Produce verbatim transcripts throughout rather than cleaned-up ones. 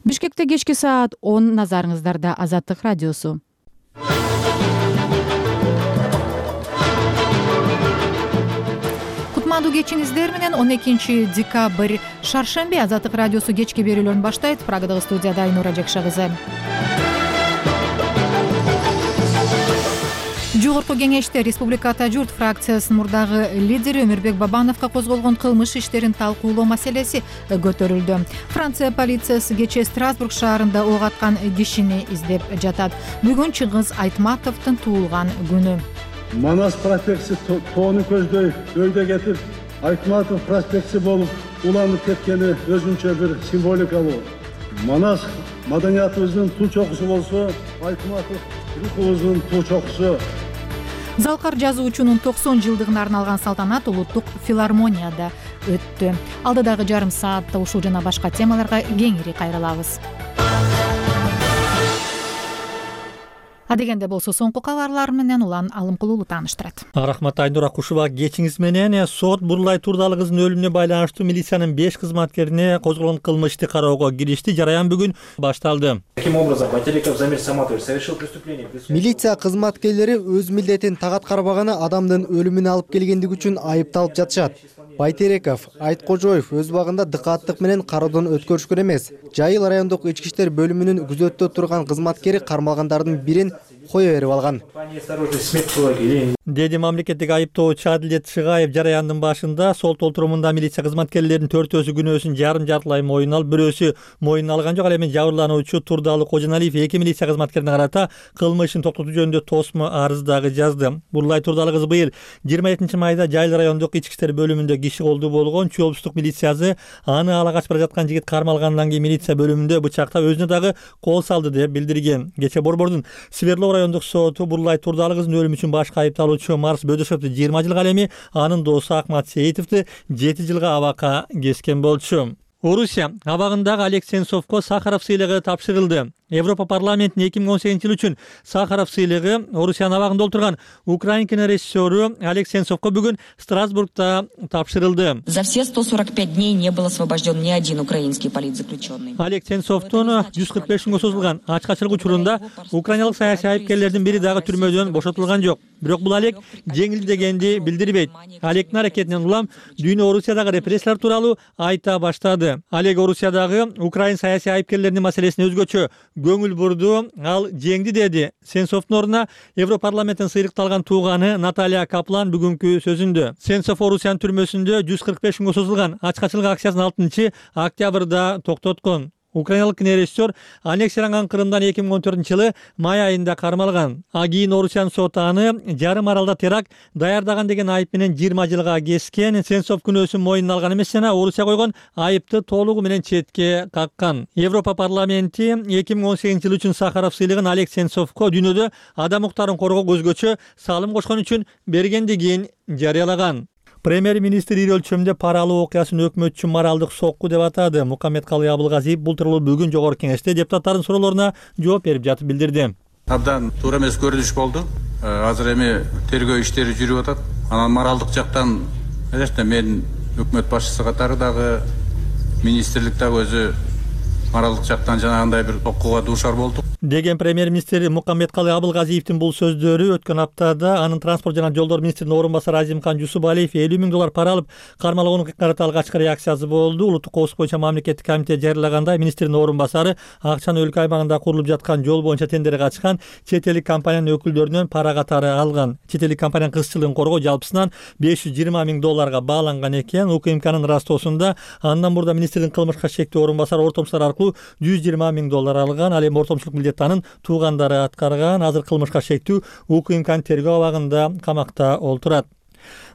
Бишкекте кечки саат он, назарыңыздарда Азаттык радиосу. Кутмандуу кечиңиздер менен он экинчи декабрь шаршемби Азаттык радиосу кечки берүүлөрүн баштайт. Прагадагы студияда Айнура Жакша кызы. Жогорку кеңеште Республика Ата журт фракциясынын мурдагы лидери Өмүрбек Бабановго козголгон кылмыш иштерин талкуулоо маселеси көтөрүлдү. Франция полициясы кечээ Страсбург шаарында ок аткан кишини издеп жатат. Бүгүн Чыңгыз Айтматовдун туулган күнү. Манас проспекти тоону көздөй өйдө кетип, Айтматов проспекти болуп уланып кеткени өзүнчө бир символикалуу. Манас маданиятыбыздын туу чокусу болсо, Айтматов рухубуздун туу чокусу. Залкар жазуучунун токсон жылдыгына арналган салтанат улуттук филармонияда өттү. Алдыдагы жарым саатта ушул жана башка темаларга кеңири кайрылабыз. Адегенде болсо соңку кабарлар менен Улан Алымкулуулу тааныштырат. Рахмат Айнура Кушуба. Кечиңиз менен сот Бурлай Турдалы кызынын өлүмүнө байланыштуу милициянын беш кызматкерине козголгон кылмыш ишти кароого киришти. Жараян бүгүн башталды. Таким образом, Байтереков Замир Саматович совершил преступление. Милиция кызматкерлери өз милдетин тагат карбаганы адамдын өлүмүнө алып келгендиги үчүн айыпталып жатышат. Байтереков, Айткожоев өз багында дыкааттык менен кароодон өткөрүшкөн эмес. Жайыл райондук ички иштер бөлүмүнүн күзөттө турган кызматкери кармалгандардын бирин кое берип алган. Деди мамлекеттик айыптоочу Адилет Шыгаев жараяндын башында сол толтурумунда милиция кызматкерлеринин төртөөсү күнөөсүн жарым жартылай моюн алып, бирөөсү моюн алган жок. Ал эми жабырлануучу Турдалы Кожоналиев эки милиция кызматкерине карата кылмышын токтотуу жөнүндө тосмо арыз дагы жазды. Бурлай Турдалы кызы быйыл жыйырма экинчи майда Жайыл райондук ички иштер бөлүмүндө киши колдуу болгон. Чүй облустук милициясы аны ала качып бара жаткан жигит кармалгандан кийин милиция бөлүмүндө бычактап өзүнө дагы кол салды деп билдирген. Кечээ Борбордун Сверлов райондук соту Бурлай Турдалы кызынын өлүмү үчүн башкы айыпталуучу Марс Бөдөшевди жыйырма жылга, ал эми анын досу Акмат Сейитовду жети жылга абакка кескен болчу. Орусия абагындагы Олег Сенцовго Сахаров сыйлыгы тапшырылды. Европа парламентинин эки миң он сегизинчи жыл үчүн Сахаров сыйлыгы Орусиянын абагында отурган украин кинорежиссеру Олег Сенцовго бүгүн Страсбургда тапшырылды. За все сто сорок пять дней не был освобожден ни один украинский политзаключенный. Олег Сенцовдун жүз кырк беш күнгө созулган ачкачылык учурунда украиналык саясий айыпкерлердин бири дагы түрмөдөн бошотулган жок. Бирок бул Олег жеңил дегенди билдирбейт. Олегдин аракетинен улам дүйнө Орусиядагы репрессиялар тууралуу айта баштады. Олег Орусиядагы украин саясий айыпкерлеринин маселесине өзгөчө көңүл бурду, ал жеңди деди. Сенцовдун ордуна Европарламенттен сыйлыкталган тууганы Наталья Каплан бүгүнкү сөзүндө. Сенцов Орусиянын түрмөсүндө жүз кырк беш күнгө созулган ачкачылык акциясын алтынчы октябрда токтоткон. Украиналык кинорежиссер аннексияланган Крымдан эки миң он төртүнчү жылы май айында кармалган. А кийин Орусиянын соту аны жарым аралда теракт даярдаган деген айып менен жыйырма жылга кескен. Сенцов күнөөсүн моюнуна алган эмес жана Орусия койгон айыпты толугу менен четке каккан. Европа парламенти эки миң он сегизинчи жыл үчүн Сахаров сыйлыгын Олег Сенцовго дүйнөдө адам укуктарын коргоого өзгөчө салым кошкон үчүн бергендигин жарыялаган. Премьер-министр ири өлчөмдө пара алуу окуясын өкмөт үчүн моралдык сокку деп атады. Мукаммедкалый Абылгазиев бул тууралуу бүгүн жогорку кеңеште депутаттардын суроолоруна жооп берип жатып билдирди. Абдан туура эмес көрүнүш болду. Азыр эми тергөө иштери жүрүп атат. Анан моралдык жактан элбетте мен өкмөт башчысы катары дагы министрлик дагы өзү моралдык жактан жанагындай бир окууга дуушар болдук деген премьер-министр Мукаммедкалый Абылгазиевдин бул сөздөрү өткөн аптада анын транспорт жана жолдор министринин орун басары Азимкан Жусупалиев элүү миң доллар пара алып кармалгонун карата алгачкы реакциясы болду. Улуттук коопсуздук боюнча мамлекеттик комитет жарыялагандай мминистрдин орун басары акчаны өлкө аймагында курулуп жаткан жол боюнча тендерге катышкан чет элдик компаниянын өкүлдөрүнөн пара катары алган. Чет элдик компаниянын кызчылыгын коргоо жалпысынан беш жүз жыйырма миң долларга бааланган экен. УКМКнын растоосунда андан мурда министрдин кылмышка шектүү орун басары ортомчулар аркылуу жүз жыйырма миң доллар алган. Ал эми ортомчулук милдетти анын туугандары аткарган. Азыр кылмышка шектүү УКМКнын тергөө абагында камакта олтурат.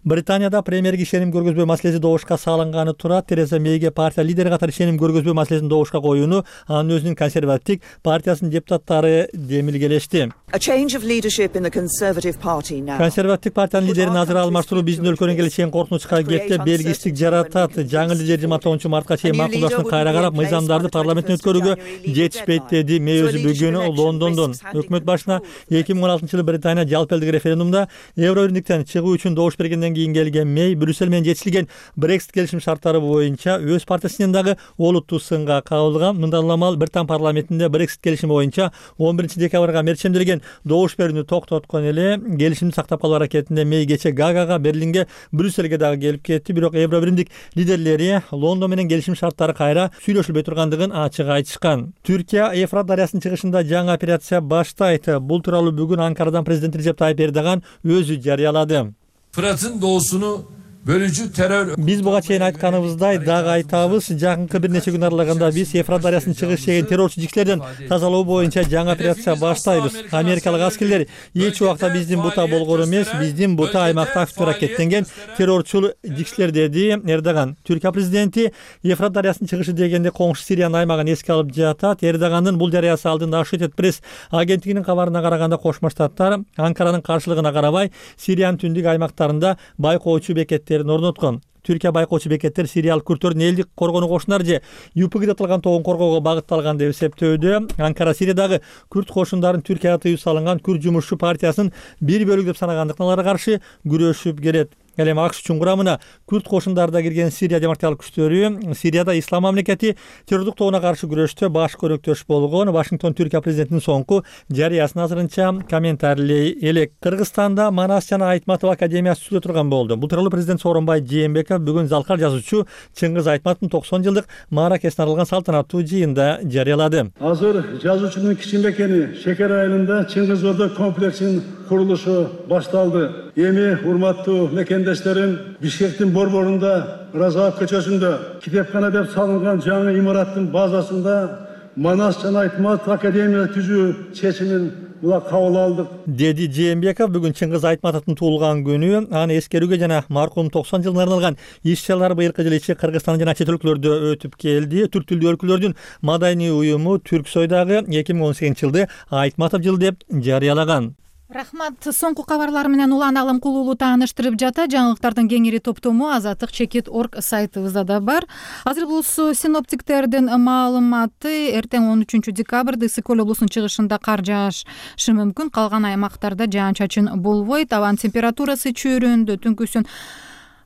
Британияда премьерге ишеним көргөзбөө маселеси добушка салынганы турат. Тереза Мейге партия лидери катары ишеним көргөзбөө маселесин добушка коюуну анын өзүнүн консервативдик партиясынын депутаттары демилгелешти. Консервативдик партиянын лидерин азыр алмаштыруу биздин өлкөнүн келечегин коркунучка кетти, белгисиздик жаратат. Жаңы лидер жыйырма тогузунчу мартка чейин макулдашууну кайра карап, мыйзамдарды парламенттен өткөрүүгө жетишпейт деди. Мэй өзү бүгүн Лондондон өкмөт башына эки миң он алтынчы жылы Британия жалпы элдик референдумда Евробирликтен чыгуу үчүн добуш бергенден андан кийин келген Мэй Брюссель менен жетишилген Brexit келишим шарттары боюнча өз партиясынын дагы олуттуу сынга кабылган. Мындан улам ал Британ парламентинде Brexit келишими боюнча он биринчи декабрга мерчемделген добуш берүүнү токтоткон эле. Келишимди сактап калуу аракетинде Мэй кече Гаагага, Берлинге, Брюссельге дагы келип кетти. Бирок Евро биримдик лидерлери Лондон менен келишим шарттары кайра сүйлөшүлбөй тургандыгын ачык айтышкан. Түркия Эфрат дарыясынын чыгышында жаңы операция баштайт. Бул тууралуу бүгүн Анкарадан президент Режеп Тайып Эрдоган өзү жарыялады. Fırat'ın doğusunu bölücü terör... Биз буга чейин айтканыбыздай дагы айтабыз, жакынкы бир нече күн аралыгында биз Эфрат дарыясынын чыгыш жегин террорчу жикчилерден тазалоо боюнча жаңы операция баштайбыз. Америкалык аскерлер эч убакта биздин бута болгон эмес, биздин бута аймакта активдүү аракеттенген террорчул жикчилер, деди Эрдоган. Түркия президенти Эфрат дарыясынын чыгышы дегенде коңшу Сириянын аймагын эске алып жатат. Эрдогандын бул жарыясы алдында Associated Press агенттигинин кабарына караганда Кошмо Штаттар Анкаранын каршылыгына карабай Сириянын түндүк аймактарында байкоочу бекеттерин орноткон. Түркия байкоочу бекеттер сириялык күрттөрдүн элдик коргонуу кошуналар же ЮПГ деп аталган тобун коргоого багытталган деп эсептөөдө. Анкара Сириядагы күрт кошундарын Түркияга тыюу салынган Күрд жумушчу партиясынын бир бөлүгү деп санагандыктан аларга каршы күрөшүп келет. Ал эми АКШ үчүн курамына күрт кошундары да кирген Сирия демократиялык күчтөрү Сирияда ислам мамлекети террордук тобуна каршы күрөштө баш көрөктөш болгон. Вашингтон Түркия президентинин соңку жарыясын азырынча комментарийлей элек. Кыргызстанда Манас жана Айтматов академиясы сүзүлө турган болду. Бул тууралуу президент Сооронбай Жээнбеков бүгүн Залкар жазуучу Чыңгыз Айтматовдун токсон жылдык мааракесине арналган салтанаттуу жыйында жарыялады. Азыр жазуучунун кичинекени Шекер айылында Чыңгыз Ордо комплексинин курулушу башталды. Эми урматтуу мекендештерим, Бишкектин борборунда Разаев көчөсүндө китепкана деп салынган жаңы имараттын базасында Манас жана Айтматов академия түзүү чечимин була кабыл алдык, деди Жээнбеков. Бүгүн Чыңгыз Айтматовдун туулган күнү. Аны эскерүүгө жана маркумдун токсон жылына арналган иш-чаралар быйылкы жылы ичи Кыргызстан жана чет өлкөлөрдө өтүп келди. Түрк тилдүү өлкөлөрдүн маданий уюму Түрксой дагы эки миң он сегизинчи жылды Айтматов жылы деп жарыялаган. Рахмат. Соңку кабарлар менен улан алым кулуулуу тааныштырып жата. Жаңылыктардын кеңири топтому азаттык чекит точка орг сайтыбызда да бар. Азыр болсо синоптиктердин маалыматы: эртең он үчүнчү декабрда Ысык Көл облусунун чыгышында кар жаашы мүмкүн. Калган аймактарда жаан-чачын болбойт. Абанын температурасы чөйрөндө түнкүсүн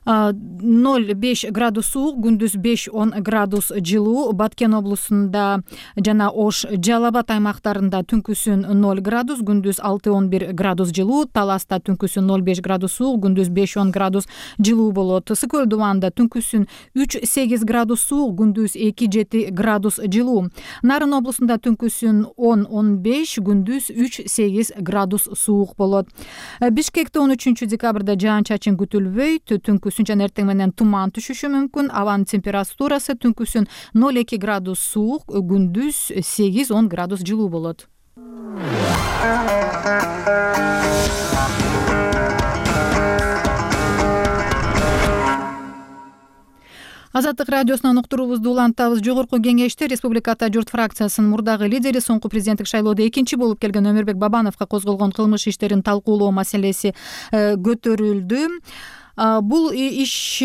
ноль беш градус суук, күндүз беш он градус жылуу. Баткен облусунда жана Ош, Жалал Абад аймактарында түнкүсүн ноль градус, күндүз алты он бир градус жылуу. Таласта түнкүсүн ноль беш градус суук, күндүз беш он градус жылуу болот. Ысык Көл дубанында түнкүсүн үч сегиз градус суук, күндүз эки жети градус жылуу. Нарын облусунда түнкүсүн он он беш, күндүз үч сегиз градус суук болот. Бишкекте он үчүнчү декабрда жаан-чачын күтүлбөйт. Түнкүсүн жана эртең менен туман түшүшү мүмкүн. Абанын температурасы түнкүсүн ноль эки градус суук, күндүз сегиз он градус жылуу болот. Азаттык радиосунан уктуруубузду улантабыз. Жогорку кеңеште Республика Ата журт фракциясынын мурдагы лидери соңку президенттик шайлоодо экинчи болуп келген Өмүрбек Бабановго козголгон кылмыш иштерин талкуулоо маселеси көтөрүлдү. Бул иш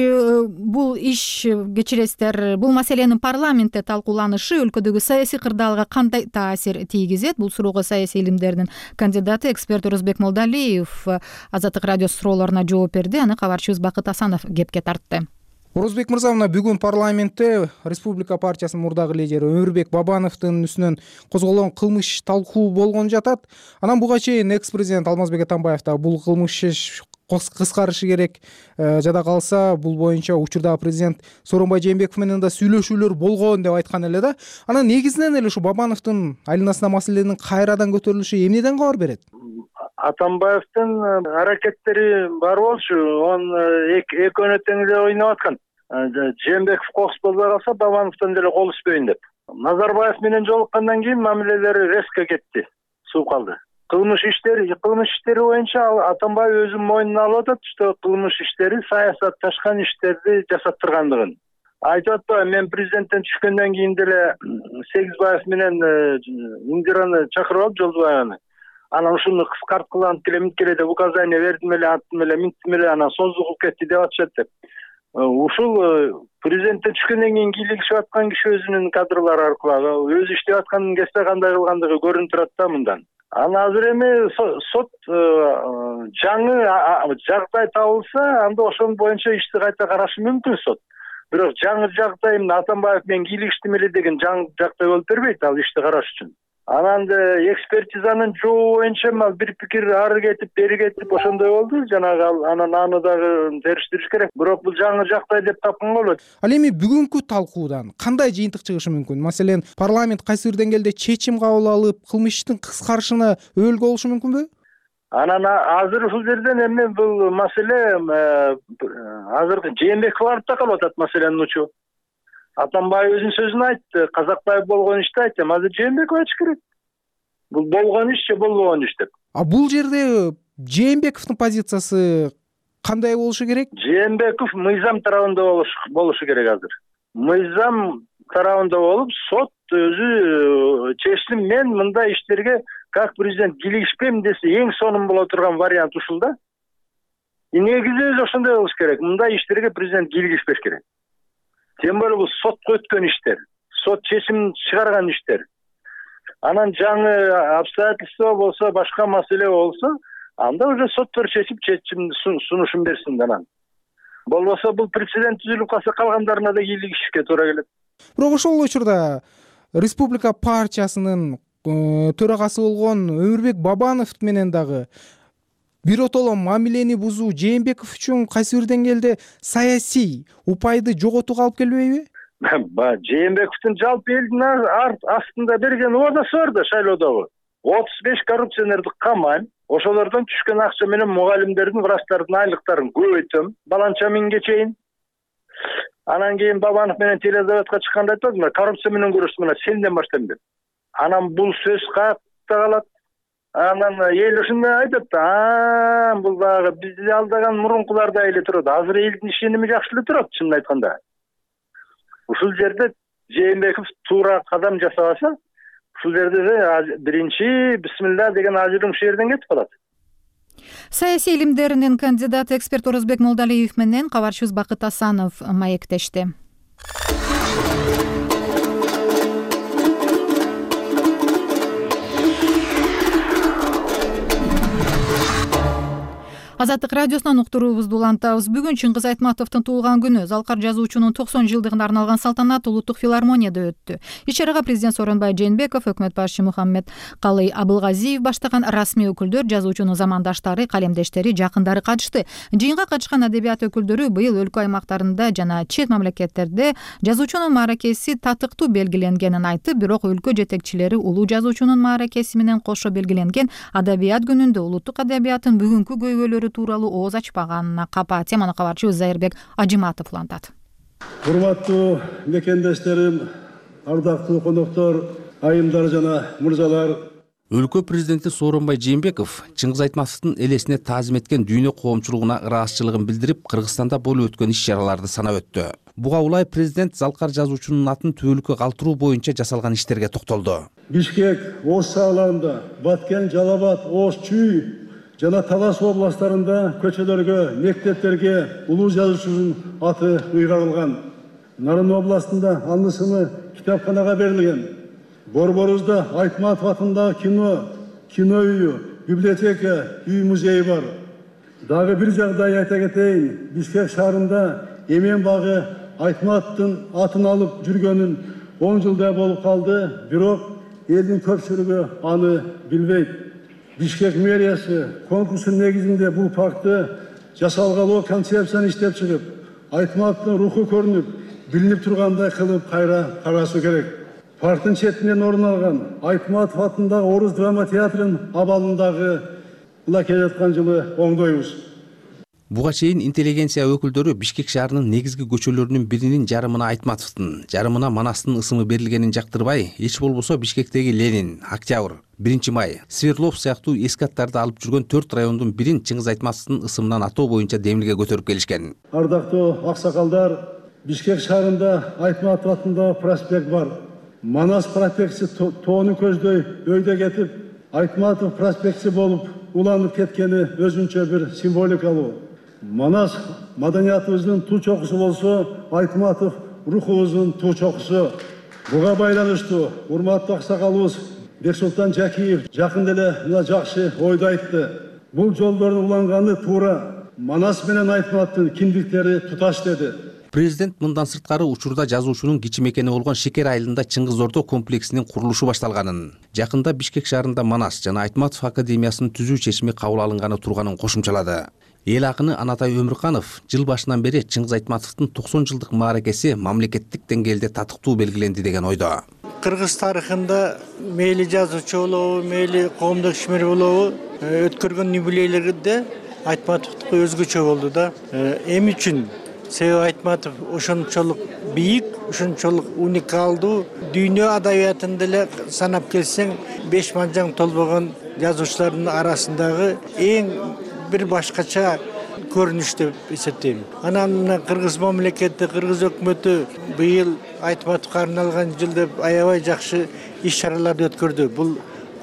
бул иш кечиресиздер, бул маселенин парламентте талкууланышы өлкөдөгү саясий кырдаалга кандай таасир тийгизет? Бул суроого саясий илимдердин кандидаты, эксперт Орозбек Молдалиев Азаттык радио суроолоруна жооп берди. Аны кабарчыбыз Бакыт Асанов кепке тартты. Орозбек мырза, мына бүгүн парламентте Республика партиясынын мурдагы лидери Өмүрбек Бабановдун үстүнөн козголгон кылмыш талкуу болгон жатат. Анан буга чейин экс-президент Алмазбек Атамбаев да бул кылмыш иш кыскарышы керек, жада калса бул боюнча учурдагы президент Сооронбай Жээнбеков менен да сүйлөшүүлөр болгон деп айткан эле да. Анан негизинен эле ушу Бабановдун айланасына маселенин кайрадан көтөрүлүшү эмнеден кабар берет? Атамбаевдин аракеттери бар болчу, он экөөнө тең эле ойноп аткан. Жээнбеков кокус болбой калса Бабановдон деле кол үзбөйүн деп. Назарбаев менен жолуккандан кийин мамилелери резко кетти, сууп калды. Кылмыш иштери, кылмыш иштери боюнча Атамбаев өзүнүн мойнуна алып атат, что кылмыш иштери саясатташкан иштерди жасап тургандыгын. Айтып атпайбы, мен президенттен түшкөндөн кийин деле Сегизбаев менен Индираны чакырып алып, Жолдубаеваны. Анан ушуну кыскарткыла анткеле минткеле деп указание бердим эле, аттым эле, минттим эле, анан создугуп кетти деп атышат деп. Ушул президенттен түшкөндөн кийин кийлигишип аткан киши өзүнүн кадрлары аркылуу өзү иштеп атканын кесте кандай кылгандыгы көрүнүп турат да мындан. Анан азыр эми сот жаңы жагдай табылса, анда ошон боюнча ишти кайта карашы мүмкүн сот. Бирок жаңы жагдай эмне Атамбаев менен кийлигиштим эле деген жаңы жагдай болуп бербейт ал ишти караш үчүн. Анан экспертизанын жообу боюнча бир пикир ары кетип, бери кетип ошондой болду. Жанагы анан аны дагы териштириш керек. Бирок бул жаңы жагдай деп тапканга болот. Ал эми бүгүнкү талкуудан кандай жыйынтык чыгышы мүмкүн? Маселен, парламент кайсы бир деңгээлде чечим кабыл алып, кылмыш иштин кыскарышына өбөлгө болушу мүмкүнбү? Анан азыр ушул жерден эми бул маселе азыр Жээнбеков барып такалып атат маселенин учу. Атамбаев өзүнүн сөзүн айтты, Казакбаев болгон ишти айтты, азыр Жээнбеков айтыш керек. Бул болгон иш же болбогон иш деп. А бул жерде Жээнбековдун позициясы кандай болушу керек? Жээнбеков мыйзам тарабында болушу керек азыр. Мыйзам тарабында болуп, сот өзү чечим мен мындай иштерге как президент кийлигишпейм десе, эң сонун боло турган вариант ушул да. Негизи өзү ошондой болуш керек. Мындай иштерге президент кийлигишпеш керек. Тем более бул сотко өткөн иштер, сот чечим чыгарган иштер. Анан жаңы обстоятельства болсо, башка маселе болсо, анда уже соттор чечип чечимди сунушун берсин анан. Болбосо бул прецедент түзүлүп калса, калгандарына да кийлигишке туура келет. Бирок ошол учурда Республика партиясынын төрагасы болгон Өмүрбек Бабанов менен дагы биротоло мамилени бузуу Жээнбеков үчүн кайсы бир деңгээлде саясий упайды жоготууга алып келбейби? Жээнбековдун жалпы элдин астында берген убадасы бар да шайлоодогу. отуз беш коррупционерди камайм, ошолордон түшкөн акча менен мугалимдердин, врачтардын айлыктарын көбөйтөм, баланча миңге чейин. Анан кийин Бабанов менен теледебатка чыкканда айтты, коррупция менен күрөштү, мына сенден баштайм деп. Анан бул сөз каякта калат? Анан эл ушундай айтат да, бул дагы бизди алдаган мурункулардай эле турат. Азыр элдин ишеними жакшы эле турат, чынын айтканда. Ушул жерде Жээнбеков туура кадам жасабаса, ушул жерде биринчи бисмилла деген ажырым ушул жерден кетип калат. Саясий илимдеринин кандидаты эксперт Орозбек Молдалиев менен кабарчыбыз Бакыт Асанов маектешти. Азаттык радиосунан уктуруубузду улантабыз. Бүгүн Чыңгыз Айтматовдун туулган күнү. Залкар жазуучунун токсон жылдыгына арналган салтанат Улуттук филармонияда өттү. Иш-чарага президент Сооронбай Жээнбеков, өкмөт башчы Мухаммед Калый Абылгазиев баштаган расмий өкүлдөр, жазуучунун замандаштары, калемдештери, жакындары катышты. Жыйынга катышкан адабият өкүлдөрү быйыл өлкө аймактарында жана чет мамлекеттерде жазуучунун мааракеси татыктуу белгиленгенин айтып, бирок өлкө жетекчилери улуу жазуучунун мааракеси менен кошо белгиленген адабият күнүндө улуттук адабияттын бүгүнкү көйгөйлөрү тууралуу ооз ачпаганына капа. Теманы кабарчыбыз Зайырбек Ажиматов улантат. Урматтуу мекендештерим, ардактуу коноктор, айымдар жана мырзалар. Өлкө президенти Сооронбай Жээнбеков Чыңгыз Айтматовдун элесине таазим эткен дүйнө коомчулугуна ыраазычылыгын билдирип, Кыргызстанда болуп өткөн иш-чараларды санап өттү. Буга улай президент Залкар жазуучунун атын түбөлүккө калтыруу боюнча жасалган иштерге токтолду. Бишкек, Ош шаарларында, Баткен, Жалал-Абад, Ош, Чүй жана Талас областарында көчөлөргө, мектептерге улуу жазуучунун аты ыйгарылган. Нарын областында анысыны китапканага берилген. Борборузда Айтматов атындагы кино, кино үйү, библиотека, үй музейи бар. Дагы бир жагдай айта кетейин. Бишкек шаарында Эмен багы Айтматовдун атын алып жүргөнүн он жылдай болуп калды, бирок элдин көпчүлүгү аны билбейт. Бишкек мэриясы конкурстун негизинде бул паркты жасалгалоо концепцияны иштеп чыгып, Айтматовдун руху көрүнүп, билинип тургандай кылып кайра карасуу керек. Парктын четинен орун алган Айтматов атындагы Орус драма театрынын абалындагы була келе жаткан жылы оңдойбуз. Буга чейин интеллигенция өкүлдөрү Бишкек шаарынын негизги көчөлөрүнүн биринин жарымына Айтматовдун, жарымына Манастын ысымы берилгенин жактырбай, эч болбосо Бишкектеги Ленин, Октябрь, биринчи май, Свердлов сыяктуу эски аттарды алып жүргөн төрт райондун бирин Чыңгыз Айтматовдун ысымынан атоо боюнча демилге көтөрүп келишкен. Ардактуу аксакалдар, Бишкек шаарында Айтматов атындагы проспект бар. Манас проспекти тоону көздөй өйдө кетип, Айтматов проспекти болуп уланып кеткени өзүнчө бир символикалуу. Манас маданиятыбыздын туу чокусу болсо, Айтматов рухубуздун туу чокусу. Буга байланыштуу урматтуу аксакалыбыз Бексултан Жакиев жакында эле мына жакшы ойду айтты. Бул жолдордун уланганы туура. Манас менен Айтматовдун кимдиктери туташ деди. Президент мындан сырткары учурда жазуучунун кичи мекени болгон Шекер айылында Чыңгыз Ордо комплексинин курулушу башталганын, жакында Бишкек шаарында Манас жана Айтматов академиясын түзүү чечими кабыл алынганы турганын кошумчалады. Эл акыны Анатай Өмүрканов жыл башынан бери Чыңгыз Айтматовдун токсон жылдык мааракеси мамлекеттик деңгээлде татыктуу белгиленди деген ойдо. Кыргыз тарыхында мейли жазуучу болобу, мейли коомдук ишмер болобу, өткөргөн юбилейлерде Айтматовдуку өзгөчө болду да. Эми үчүн себеби Айтматов ошончолук бийик, ошончолук уникалдуу, дүйнө адабиятында эле санап келсең беш манжаң толбогон жазуучулардын арасындагы эң бир башкача көрүнүш деп эсептейм. Анан мына Кыргыз мамлекети, Кыргыз өкмөтү быйыл Айтматовго арналган жыл деп аябай жакшы иш-чараларды өткөрдү. Бул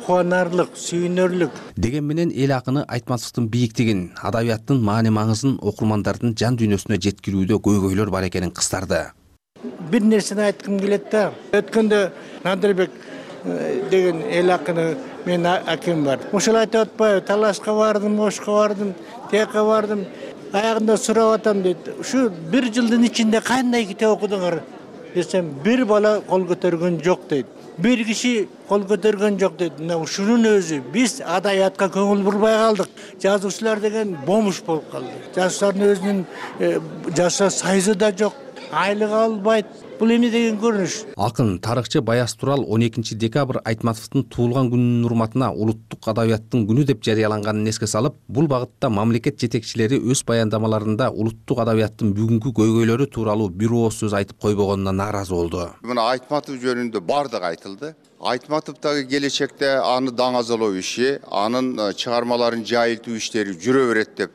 кубанарлык, сүйүнөрлүк. Деген менен эл акыны Айтматовдун бийиктигин, адабияттын маани-маңызын окурмандардын жан дүйнөсүнө жеткирүүдө көйгөйлөр бар экенин кыстарды. Бир нерсени айткым келет да. Өткөндө Надырбек деген эл акыны мен акем бар. Ошол айтып атпайбы, Талашка бардым, Ошко бардым, тияка бардым. Аягында сурап атам дейт. Ушу бир жылдын ичинде кандай китеп окудуңар десем, бир бала кол көтөргөн жок дейт. Бир киши кол көтөргөн жок дейт. Мына ушунун өзү биз адабиятка көңүл бурбай калдык. Жазуучулар деген бомуш болуп калды. Жазуучулардын өзүнүн жаша сайзы да жок, айлык албайт. Бул эмне деген көрүнүш? Акын тарыхчы Баяз Турал он экинчи декабрь Айтматовдун туулган күнүнүн урматына улуттук адабияттын күнү деп жарыяланганын эске салып, бул багытта мамлекет жетекчилери өз баяндамаларында улуттук адабияттын бүгүнкү көйгөйлөрү тууралуу бир ооз сөз айтып койбогонуна нааразы болду. Мына Айтматов жөнүндө бардыгы айтылды. Айтматов дагы келечекте аны даңазалоо иши, анын чыгармаларын жайылтуу иштери жүрө берет деп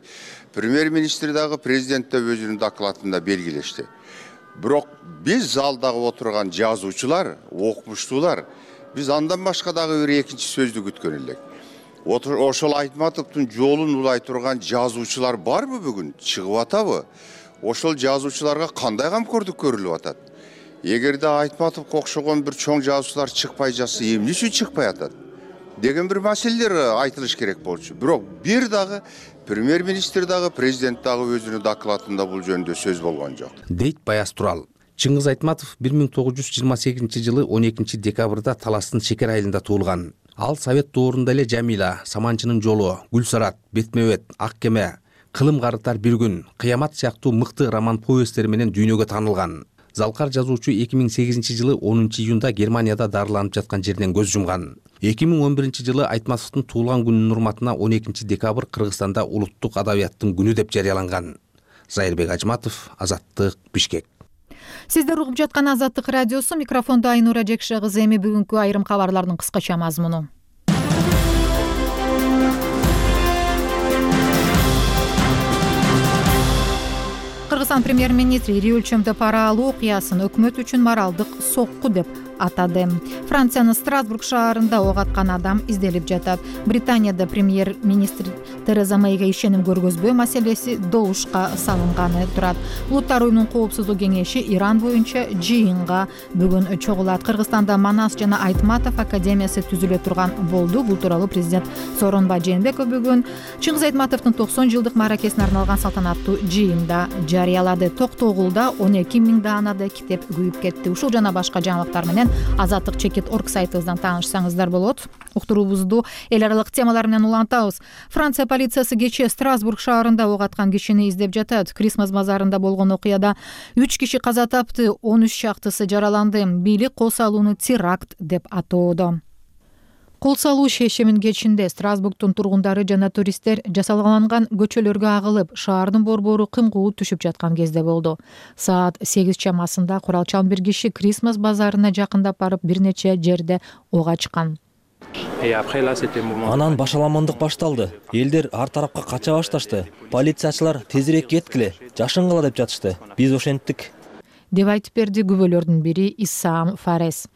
премьер-министр дагы президент да өзүнүн докладында белгилешти. Бирок биз залдагы отурган жазуучулар, окумуштуулар, биз андан башка дагы бир экинчи сөздү күткөн элек. Ошол Айтматовдун жолун улай турган жазуучулар барбы бүгүн? Чыгып атабы? Ошол жазуучуларга кандай камкордук көрүлүп атат? Эгерде Айтматовго окшогон бир чоң жазуучулар чыкпай жатса, эмне үчүн чыкпай атат деген бир маселелер айтылыш керек болчу. Бирок бир дагы премьер-министр дагы, президент дагы өзүнүн докладында бул жөнүндө сөз болгон жок. Дейт Баяз Турал. Чыңгыз Айтматов бир миң тогуз жүз жыйырма сегизинчи жылы он экинчи декабрда Таластын Шекер айылында туулган. Ал Совет доорунда эле Жамила, Саманчынын жолу, Гүлсарат, Бетмебет, Ак кеме, Кылым карытар бир күн, Кыямат сыяктуу мыкты роман повесттери менен дүйнөгө таанылган. Залкар жазуучу эки миң сегизинчи жылы онунчу июнда Германияда дарыланып жаткан жерден көз жумган. эки миң он биринчи жылы Айтматовдун туулган күнүнүн урматына он экинчи декабрь Кыргызстанда улуттук адабияттын күнү деп жарыяланган. Зайырбек Ажматов, Азаттык, Бишкек. Сиздер угуп жаткан Азаттык радиосу, микрофондо Айнура Жекше кызы. Эми бүгүнкү айрым кабарлардын кыскача мазмуну. Кыргызстан премьер-министри ири өлчөмдө пара алуу окуясын өкмөт үчүн моралдык сокку деп атады. Франциянын Страсбург шаарында ок аткан адам изделип жатат. Британияда премьер-министр Тереза Мэйге ишеним көргөзбөө маселеси добушка салынганы турат. Улуттар уюмунун коопсуздук кеңеши Иран боюнча жыйынга бүгүн чогулат. Кыргызстанда Манас жана Айтматов академиясы түзүлө турган болду. Бул тууралуу президент Сооронбай Жээнбеков бүгүн Чыңгыз Айтматовдун токсон жылдык мааракесине арналган салтанаттуу жыйында жарыялады. Токтогулда он эки миң даанада китеп күйүп кетти. Ушул жана башка жаңылыктар менен азаттык чекит орг сайтыбыздан таанышсаңыздар болот. Уктуруубузду эл аралык темалар менен улантабыз. Франция полициясы кечээ Страсбург шаарында ок аткан кишини издеп жатат. Крисмас базарында болгон окуяда үч киши каза тапты, он үч чактысы жараланды. Бийлик кол салууну теракт деп атоодо. Кол салуу шешимин кечинде Страсбургдун тургундары жана туристтер жасалганган көчөлөргө агылып, шаардын борбору кымкуу түшүп жаткан кезде болду. Саат сегиз чамасында куралчан бир киши Крисмас базарына жакындап барып, бир нече жерде ок ачкан. Анан башаламандык башталды. Элдер ар тарапка кача башташты. Полициячылар тезирээк кеткиле, жашынгыла деп жатышты. Биз ошенттик. Деп айтып берди күбөлөрдүн бири Исаам Фарес.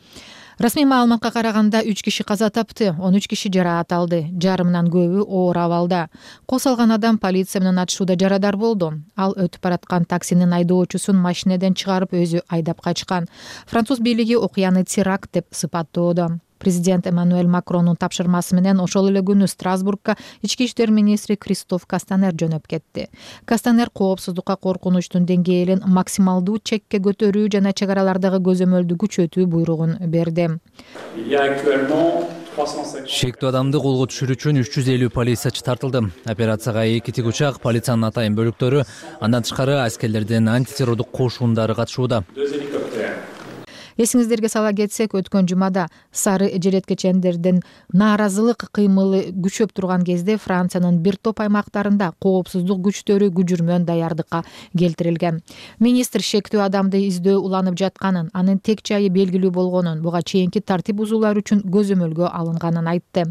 Расмий маалыматка караганда үч киши каза тапты, он үч киши жараат алды. Жарымынан көбү оор абалда. Кол салган адам полиция менен атышууда жарадар болду. Ал өтүп бараткан таксинин айдоочусун машинеден чыгарып өзү айдап качкан. Француз бийлиги окуяны теракт деп сыпаттоодо. Президент Эммануэль Макрондун тапшырмасы менен ошол эле күнү Страсбургка ички иштер министри Кристоф Кастанер жөнөп кетти. Кастанер коопсуздукка коркунучтун деңгээлин максималдуу чекке көтөрүү жана чек аралардагы көзөмөлдү күчөтүү буйругун берди. Шектүү адамды колго түшүрүү үчүн үч жүз элүү полициячы тартылды. Операцияга эки тигучак, полициянын атайын бөлүктөрү, андан тышкары аскерлердин антитеррордук кошундары катышууда. Эсиңиздерге сала кетсек, өткөн жумада сары желеткечендердин нааразылык кыймылы күчөп турган кезде Франциянын бир топ аймактарында коопсуздук күчтөрү күжүрмөн даярдыкка келтирилген. Министр шектүү адамды издөө уланып жатканын, анын тек жайы белгилүү болгонун, буга чейинки тартип бузуулар үчүн көзөмөлгө алынганын айтты.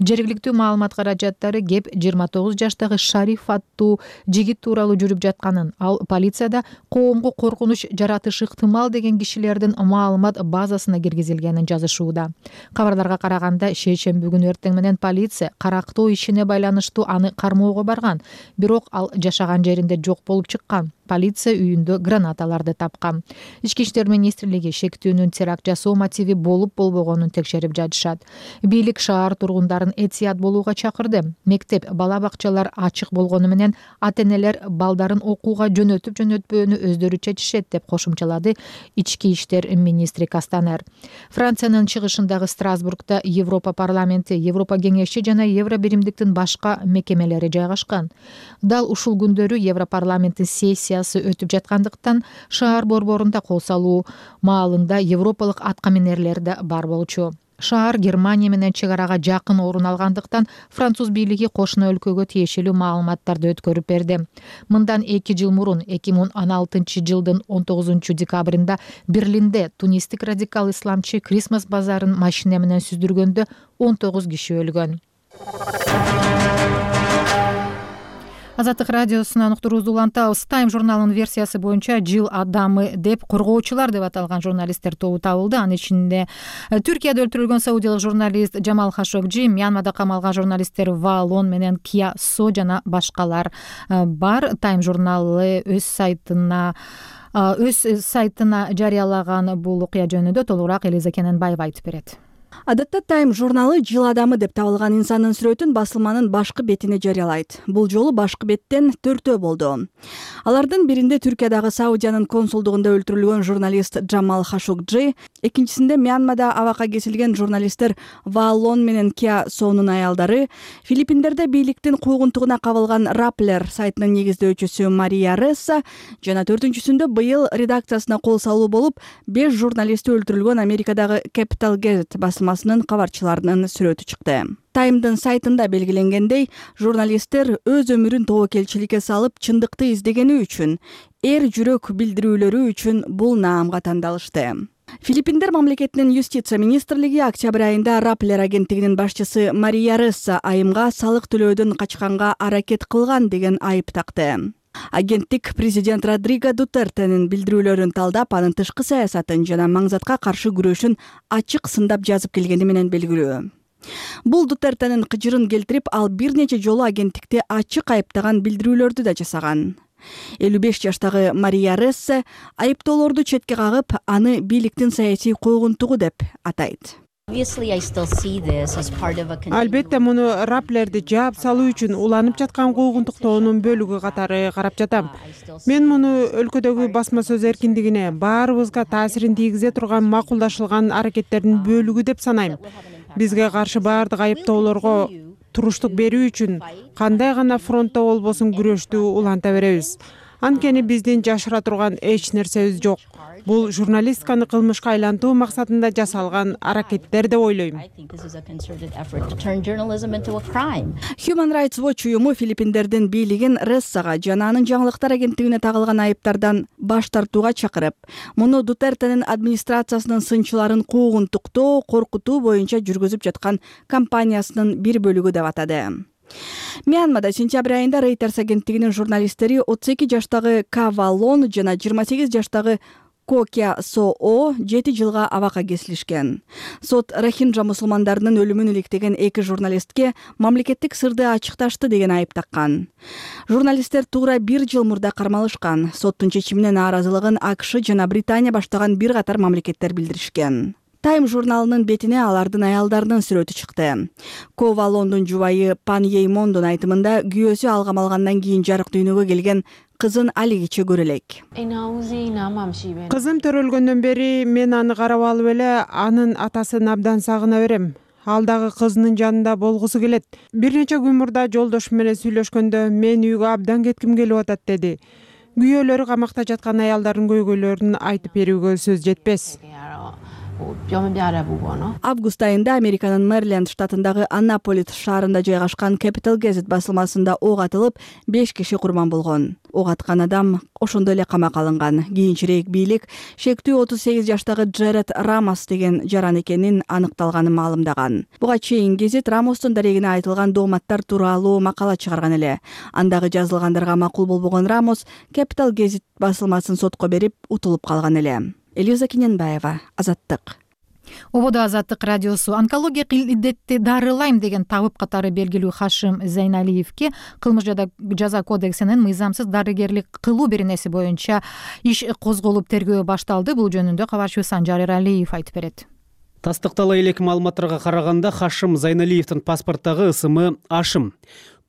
Жергиликтүү маалымат каражаттары кеп жыйырма тогуз жаштагы Шариф аттуу жигит тууралуу жүрүп жатканын, ал полицияда коомго коркунуч жаратышы ыктымал деген кишилердин маалымат базасына киргизилгенин жазышууда. Кабарларга караганда, шейшемби күнү эртең менен полиция карактоо ишине байланыштуу аны кармоого барган, бирок ал жашаган жеринде жок болуп чыккан. Полиция үйүндө гранаталарды тапкан. Ички иштер министрлиги шектүүнүн теракт жасоо мотиви болуп болбогонун текшерип жатышат. Бийлик шаар тургундарын этият болууга чакырды. Мектеп, бала бакчалар ачык болгону менен ата-энелер балдарын окууга жөнөтүп жөнөтпөөнү өздөрү чечишет деп кошумчалады ички иштер министри Кастанер. Франциянын чыгышындагы Страсбургда Европа парламенти, Европа кеңеши жана Евро биримдиктин башка мекемелери жайгашкан. Дал ушул күндөрү Европарламенттин сессия өтүп жаткандыктан шаар борборунда кол салуу маалында европалык аткаминерлер да бар болчу. Шаар Германия менен чек арага жакын орун алгандыктан француз бийлиги кошуна өлкөгө тиешелүү маалыматтарды өткөрүп берди. Мындан эки жыл мурун, эки миң он алтынчы жылдын он тогузунчу декабрында Берлинде тунистик радикал исламчы Крисмас базарын машина менен сүздүргөндө он тогуз киши өлгөн. Азаттык радиосунан уктуруубузду улантабыз. Time журналынын версиясы боюнча жыл адамы деп коргоочулар деп аталган журналисттер тобу табылды. Анын ичинде Түркияда өлтүрүлгөн саудиялык журналист Жамал Хашогджи, Мьянмада камалган журналисттер Ваалон менен Кия Со жана башкалар бар. Time журналы өз сайтына өз сайтына жарыялаган бул окуя жөнүндө толугураак Элиза Кененбаева айтып берет. Адатта Time журналы жыл адамы деп табылган инсандын сүрөтүн басылманын башкы бетине жарыялайт. Бул жолу башкы беттен төртөө болду. Алардын биринде Түркиядагы Саудиянын консулдугунда өлтүрүлгөн журналист Жамал Хашогджи, экинчисинде Мьянмада абакка кесилген журналисттер Ваалон менен Кия Сонун аялдары, Филиппиндерде бийликтин куугунтугуна кабылган Rappler сайтынын негиздөөчүсү Мария Ресса жана төртүнчүсүндө быйыл редакциясына кол салуу болуп, беш журналисти өлтүрүлгөн Америкадагы Capital Gazette басылмасынын кабарчыларынын сүрөтү чыкты. Таймдын сайтында белгиленгендей, журналисттер өз өмүрүн тобокелчиликке салып, чындыкты издегени үчүн, эр жүрөк билдирүүлөрү үчүн бул наамга тандалышты. Филиппиндер мамлекетинин юстиция министрлиги октябрь айында Rappler агенттигинин башчысы Мария Ресса айымга салык төлөөдөн качканга аракет кылган деген айып такты. Агенттик президент Родриго Дутертенин билдирүүлөрүн талдап, анын тышкы саясатын жана маңзатка каршы күрөшүн ачык сындап жазып келгени менен белгилүү. Бул Дутертенин кыжырын келтирип, ал бир нече жолу агенттикти ачык айыптаган билдирүүлөрдү да жасаган. элүү беш жаштагы Мария Рессе айыптоолорду четке кагып, аны бийликтин саясий куугунтугу деп атайт. Албетте муну Rapplerди жаап салуу үчүн уланып жаткан куугунтуктоонун бөлүгү катары карап жатам. Мен муну өлкөдөгү басма сөз эркиндигине, баарыбызга таасирин тийгизе турган макулдашылган аракеттердин бөлүгү деп санайм. Бизге каршы баардык айыптоолорго туруштук берүү үчүн кандай гана фронтто болбосун күрөштү уланта беребиз. Анткени биздин жашыра турган эч нерсебиз жок. Бул журналистканы кылмышка айлантуу максатында жасалган аракеттер деп ойлойм. Human Rights Watch уюму Филиппиндердин бийлигин Рессага жана анын жаңылыктар агенттигине тагылган айыптардан баш тартууга чакырып, муну Дутертенин администрациясынын сынчыларын куугунтуктоо, коркутуу боюнча жүргүзүп жаткан кампаниясынын бир бөлүгү деп атады. Мьянмада сентябрь айында Reuters агенттигинин журналисттери отуз эки жаштагы Ка Ваалон жана жыйырма сегиз жаштагы Ко Кия Со жети жылга абакка кесилишкен. Сот Рохинджа мусулмандарынын өлүмүн иликтеген эки журналистке мамлекеттик сырды ачыкташты деген айып таккан. Журналисттер туура бир жыл мурда кармалышкан. Соттун чечимине нааразылыгын АКШ жана Британия баштаган бир катар мамлекеттер билдиришкен. Time журналынын бетине алардын аялдарынын сүрөтү чыкты. Ковалондун жубайы Пан Еймондун айтымында күйөөсү алгам алгандан кийин жарык дүйнөгө келген кызын алигиче көрө элек. Кызым төрөлгөндөн бери мен аны карап алып эле анын атасын абдан сагына берем. Ал дагы кызынын жанында болгусу келет. Бир нече күн мурда жолдошум менен сүйлөшкөндө мен үйгө абдан кетким келип атат деди. Күйөөлөрү камакта жаткан аялдардын көйгөйлөрүн айтып берүүгө сөз жетпес. Август айында Американын Мэриленд штатындагы Аннаполис шаарында жайгашкан Capital Gazette басылмасында ок атылып, беш киши курман болгон. Ок аткан адам ошондой эле камакка алынган. Кийинчерээк бийлик шектүү отуз сегиз жаштагы Джеред Рамос деген жаран экенин аныкталганын маалымдаган. Буга чейин гезит Рамостун дарегине айтылган дооматтар тууралуу макала чыгарган эле. Андагы жазылгандарга макул болбогон Рамос Capital Gazette басылмасын сотко берип, утулуп калган эле. Элиза Киненбаева, Азаттык. Ободо Азаттык радиосу онкология илдетти дарылайм деген табып катары белгилүү Хашим Зайналиевке кылмыш жаза кодексинин мыйзамсыз дарыгерлик кылуу беренеси боюнча иш козголуп тергөө башталды. Бул жөнүндө кабарчы Санжар Эралиев айтып берет. Тастыктала элек маалыматтарга караганда Хашим Зайналиевдин паспорттагы ысымы Ашым.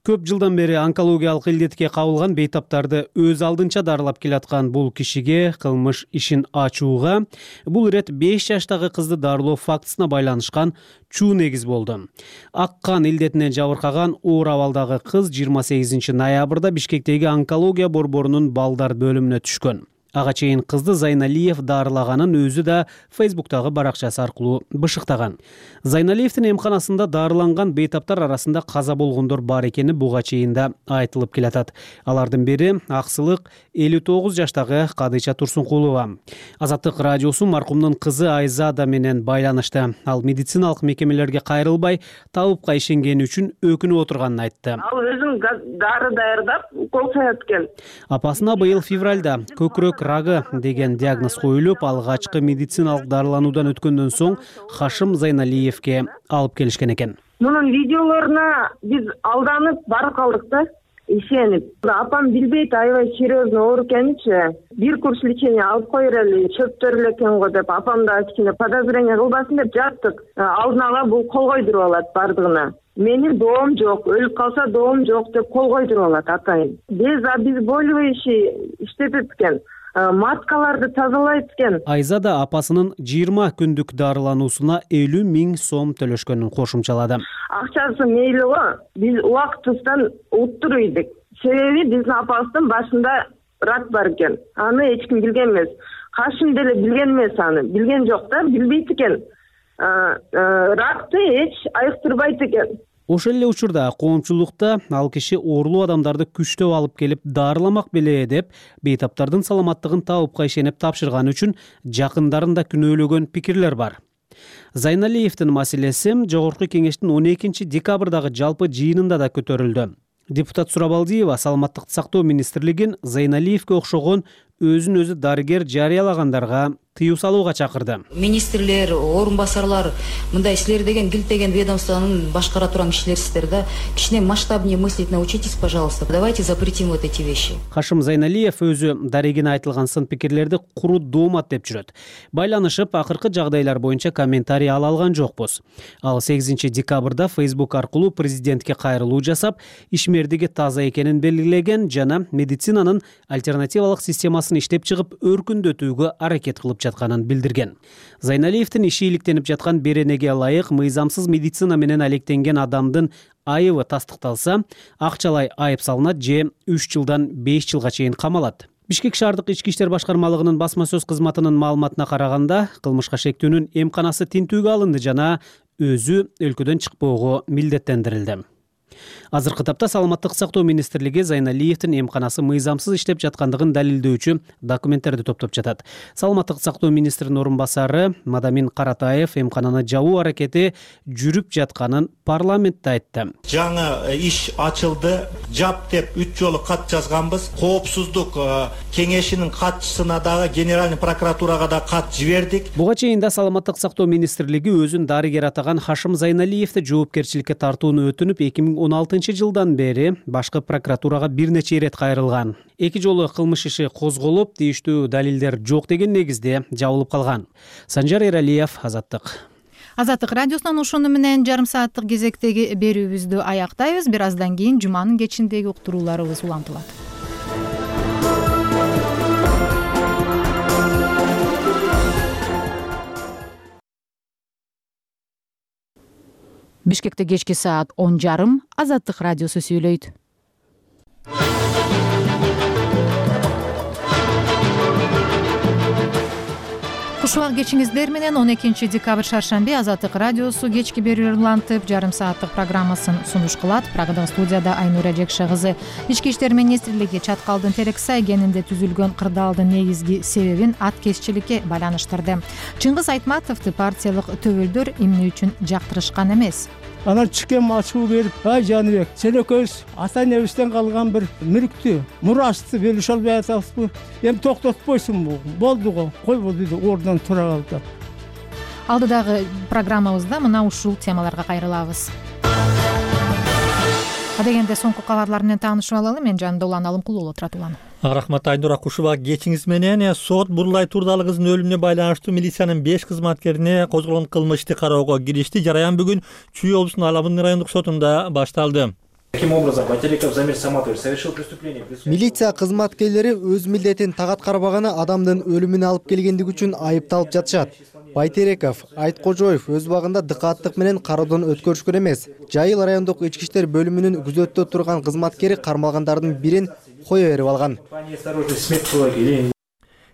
Көп жылдан бери онкологиялык илдетке кабылган бейтаптарды өз алдынча дарылап келаткан бул кишиге кылмыш ишин ачууга бул ирет беш жаштагы кызды дарылоо фактысына байланышкан чуу негиз болду. Ак кан илдетинен жабыркаган оор абалдагы кыз жыйырма сегизинчи ноябрда Бишкектеги онкология борборунун балдар бөлүмүнө түшкөн. Ага чейин кызды Зайналиев дарылаганын өзү да Фейсбуктагы баракчасы аркылуу бышыктаган. Зайналиевдин эмканасында дарыланган бейтаптар арасында каза болгондор бар экени буга чейин да айтылып келатат. Алардын бири Аксылык элүү тогуз жаштагы Кадыйча Турсункулова. Азаттык радиосу маркумдун кызы Айзада менен байланышты. Ал медициналык мекемелерге кайрылбай, табыпка ишенгени үчүн өкүнүп отурганын айтты. Ал өзүн дары даярдап, укол саят экен. Апасына быйыл февралда көкүрөк рагы деген диагноз коюлуп, алгачкы медициналык дарылануудан өткөндөн соң Хашим Зайналиевке алып келишкен экен. Мунун видеолоруна биз алданып барып калдык да, ишенип. Апам билбейт, аябай серьезно оор экеничи. Бир курс лечение алып койрели, чөптөр эле экен го деп, апам да кичине подозрение кылбасын деп жаттык. Алдын ала бул кол койдуруп алат бардыгына. Менин доом жок, өлүп калса доом жок деп кол койдуруп алат атайын. Без обезболивающий иштетет экен. Маскаларды тазалайт экен. Айзада апасынын жыйырма күндүк дарылануусуна элүү миң сом төлөшкөнүн кошумчалады. Акчасы мейли го, биз убактысынан уттур ийдик. Себеби биздин апабыздын башында рак бар экен. Аны эч ким билген эмес. Кашым деле билген эмес аны. Билген жок да, билбейт экен. Ракты эч айыктырбайт экен. Ошол эле учурда коомчулукта ал киши оорлуу адамдарды күчтөп алып келип дарыламак беле деп бейтаптардын саламаттыгын табыпка ишенип тапшырганы үчүн жакындарын да күнөөлөгөн пикирлер бар. Зайналиевдин маселеси Жогорку кеңештин он экинчи декабрдагы жалпы жыйынында да көтөрүлдү. Депутат Сурабалдиева саламаттыкты сактоо министрлигин Зайналиевге окшогон өзүн өзү дарыгер жарыялагандарга тыюу салууга чакырды. Министрлер, орун басарлар, мындай силер деген килтеген ведомствонун башкара турган кишилерсиздер да. Кичине масштабнее мыслить научитесь, пожалуйста. Давайте запретим вот эти вещи. Хашим Зайналиев өзү дарегине айтылган сын пикирлерди куру доомат деп жүрөт. Байланышып, акыркы жагдайлар боюнча комментарий ала алган жокпуз. Ал сегизинчи декабрда Facebook аркылуу президентке кайрылуу жасап, ишмердиги таза экенин белгилеген жана медицинанын альтернативалык системасын иштеп чыгып, өркүндөтүүгө аракет кылып жатканын билдирген. Зайналиевдин иши иликтенип жаткан беренеге ылайык мыйзамсыз медицина менен алектенген адамдын айыбы тастыкталса, акчалай айып салынат же үч жылдан беш жылга чейин камалат. Бишкек шаардык ички иштер башкармалыгынын басма сөз кызматынын маалыматына караганда, кылмышка шектүүнүн эмканасы тинтүүгө алынды жана өзү өлкөдөн чыкпоого милдеттендирилди. Азыркы тапта саламаттык сактоо министрлиги Зайналиевдин эмканасы мыйзамсыз иштеп жаткандыгын далилдөөчү документтерди топтоп жатат. Саламаттык сактоо министринин орун басары Мадамин Каратаев эмкананы жабуу аракети жүрүп жатканын парламентте айтты. Жаңы иш ачылды, жап деп үч жолу кат жазганбыз. Коопсуздук кеңешинин катчысына дагы генеральный прокуратурага да кат жибердик. Буга чейин да саламаттык сактоо министрлиги өзүн дарыгер атаган Хашим Зайналиевди жоопкерчиликке тартууну өтүнүп, эки миң он алтынчы жылдан бери башкы прокуратурага бир нече ирет кайрылган. Эки жолу кылмыш иши козголуп, тийиштүү далилдер жок деген негизде жабылып калган. Санжар Эралиев, Азаттык. Азаттык радиосунан ушуну менен жарым сааттык кезектеги берүүбүздү аяктайбыз. Бир аздан кийин жуманын кечиндеги уктурууларыбыз улантылат. Бишкекте кечки саат он жарым. Азаттык радиосу сүйлөйт. Кушубак кечиңиздер менен он экинчи декабрь шаршемби Азаттык радиосу кечки берүүлөр улантып, жарым сааттык программасын сунуш кылат. Прагада студияда Айнура Жекше кызы. Ички иштер министрлиги Чаткалдын Терексай кенинде түзүлгөн кырдаалдын негизги себебин аткезчиликке байланыштырды. Чыңгыз Айтматовду партиялык төбөлдөр эмне үчүн жактырышкан эмес? Анан чыкем ачуу берип, ай Жаныбек, сен экөөбүз ата энебизден калган бир мүлктү, мурасты бөлүшө албай атабызбы? Эми токтотпойсуңбу? Болду го, койбу дейди, ордунан тура калды. Алдыдагы программабызда мына ушул темаларга кайрылабыз. Адегенде соңку кабарлар менен таанышып алалы. Мен жанында Улан Алымкул уулу турат. Улан. Рахмат Айнура, кушубак кечиңиз менен сот Бурлай Турдалы кыздын өлүмүнө байланыштуу милициянын беш кызматкерине козголгон кылмышты кароого киришти. Жараян бүгүн Чүй облусунун Алабын райондук сотунда башталды. Каким образом Байтереков Замир Саматович совершил преступление? Милиция кызматкерлери өз милдетин тагат карбаганы адамдын өлүмүнө алып келгендиги үчүн айыпталып жатышат. Байтереков, Айткожоев өз убагында дыкааттык менен кароодон өткөрүшкөн эмес. Жайыл райондук ички иштер бөлүмүнүн күзөттө турган кызматкери кармалгандардын бирин кое берип алган.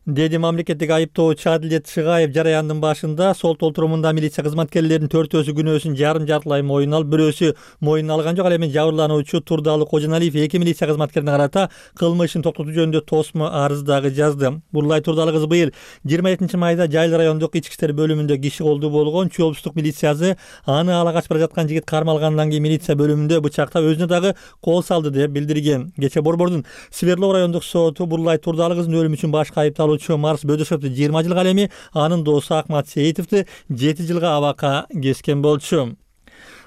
Деди мамлекеттик айыптоочу Адилет Шыгаев жараяндын башында. Сол толтурумунда милиция кызматкерлеринин төртөөсү күнөөсүн жарым жартылай моюна алып, бирөөсү моюна алган жок. Ал эми жабырлануучу Турдалы Кожоналиев эки милиция кызматкерине карата кылмышын токтотуу жөнүндө тосмо арыз дагы жазды. Бурлай Турдалы кызы быйыл жыйырма экинчи майда Жайыл райондук ички иштер бөлүмүндө киши колдуу болгон. Чүй облустук милициясы аны ала качып бара жаткан жигит кармалгандан кийин милиция бөлүмүндө бычактап өзүнө дагы кол салды деп билдирген. Кечээ Борбордун Сверлов райондук соту Бурлай Турдалы кыздын өлүмү үчүн башкы айыпталуучу Марс Бөдөшевди жыйырма жылга, ал эми анын досу Акмат Сейитовду жети жылга абакка кескен болчу.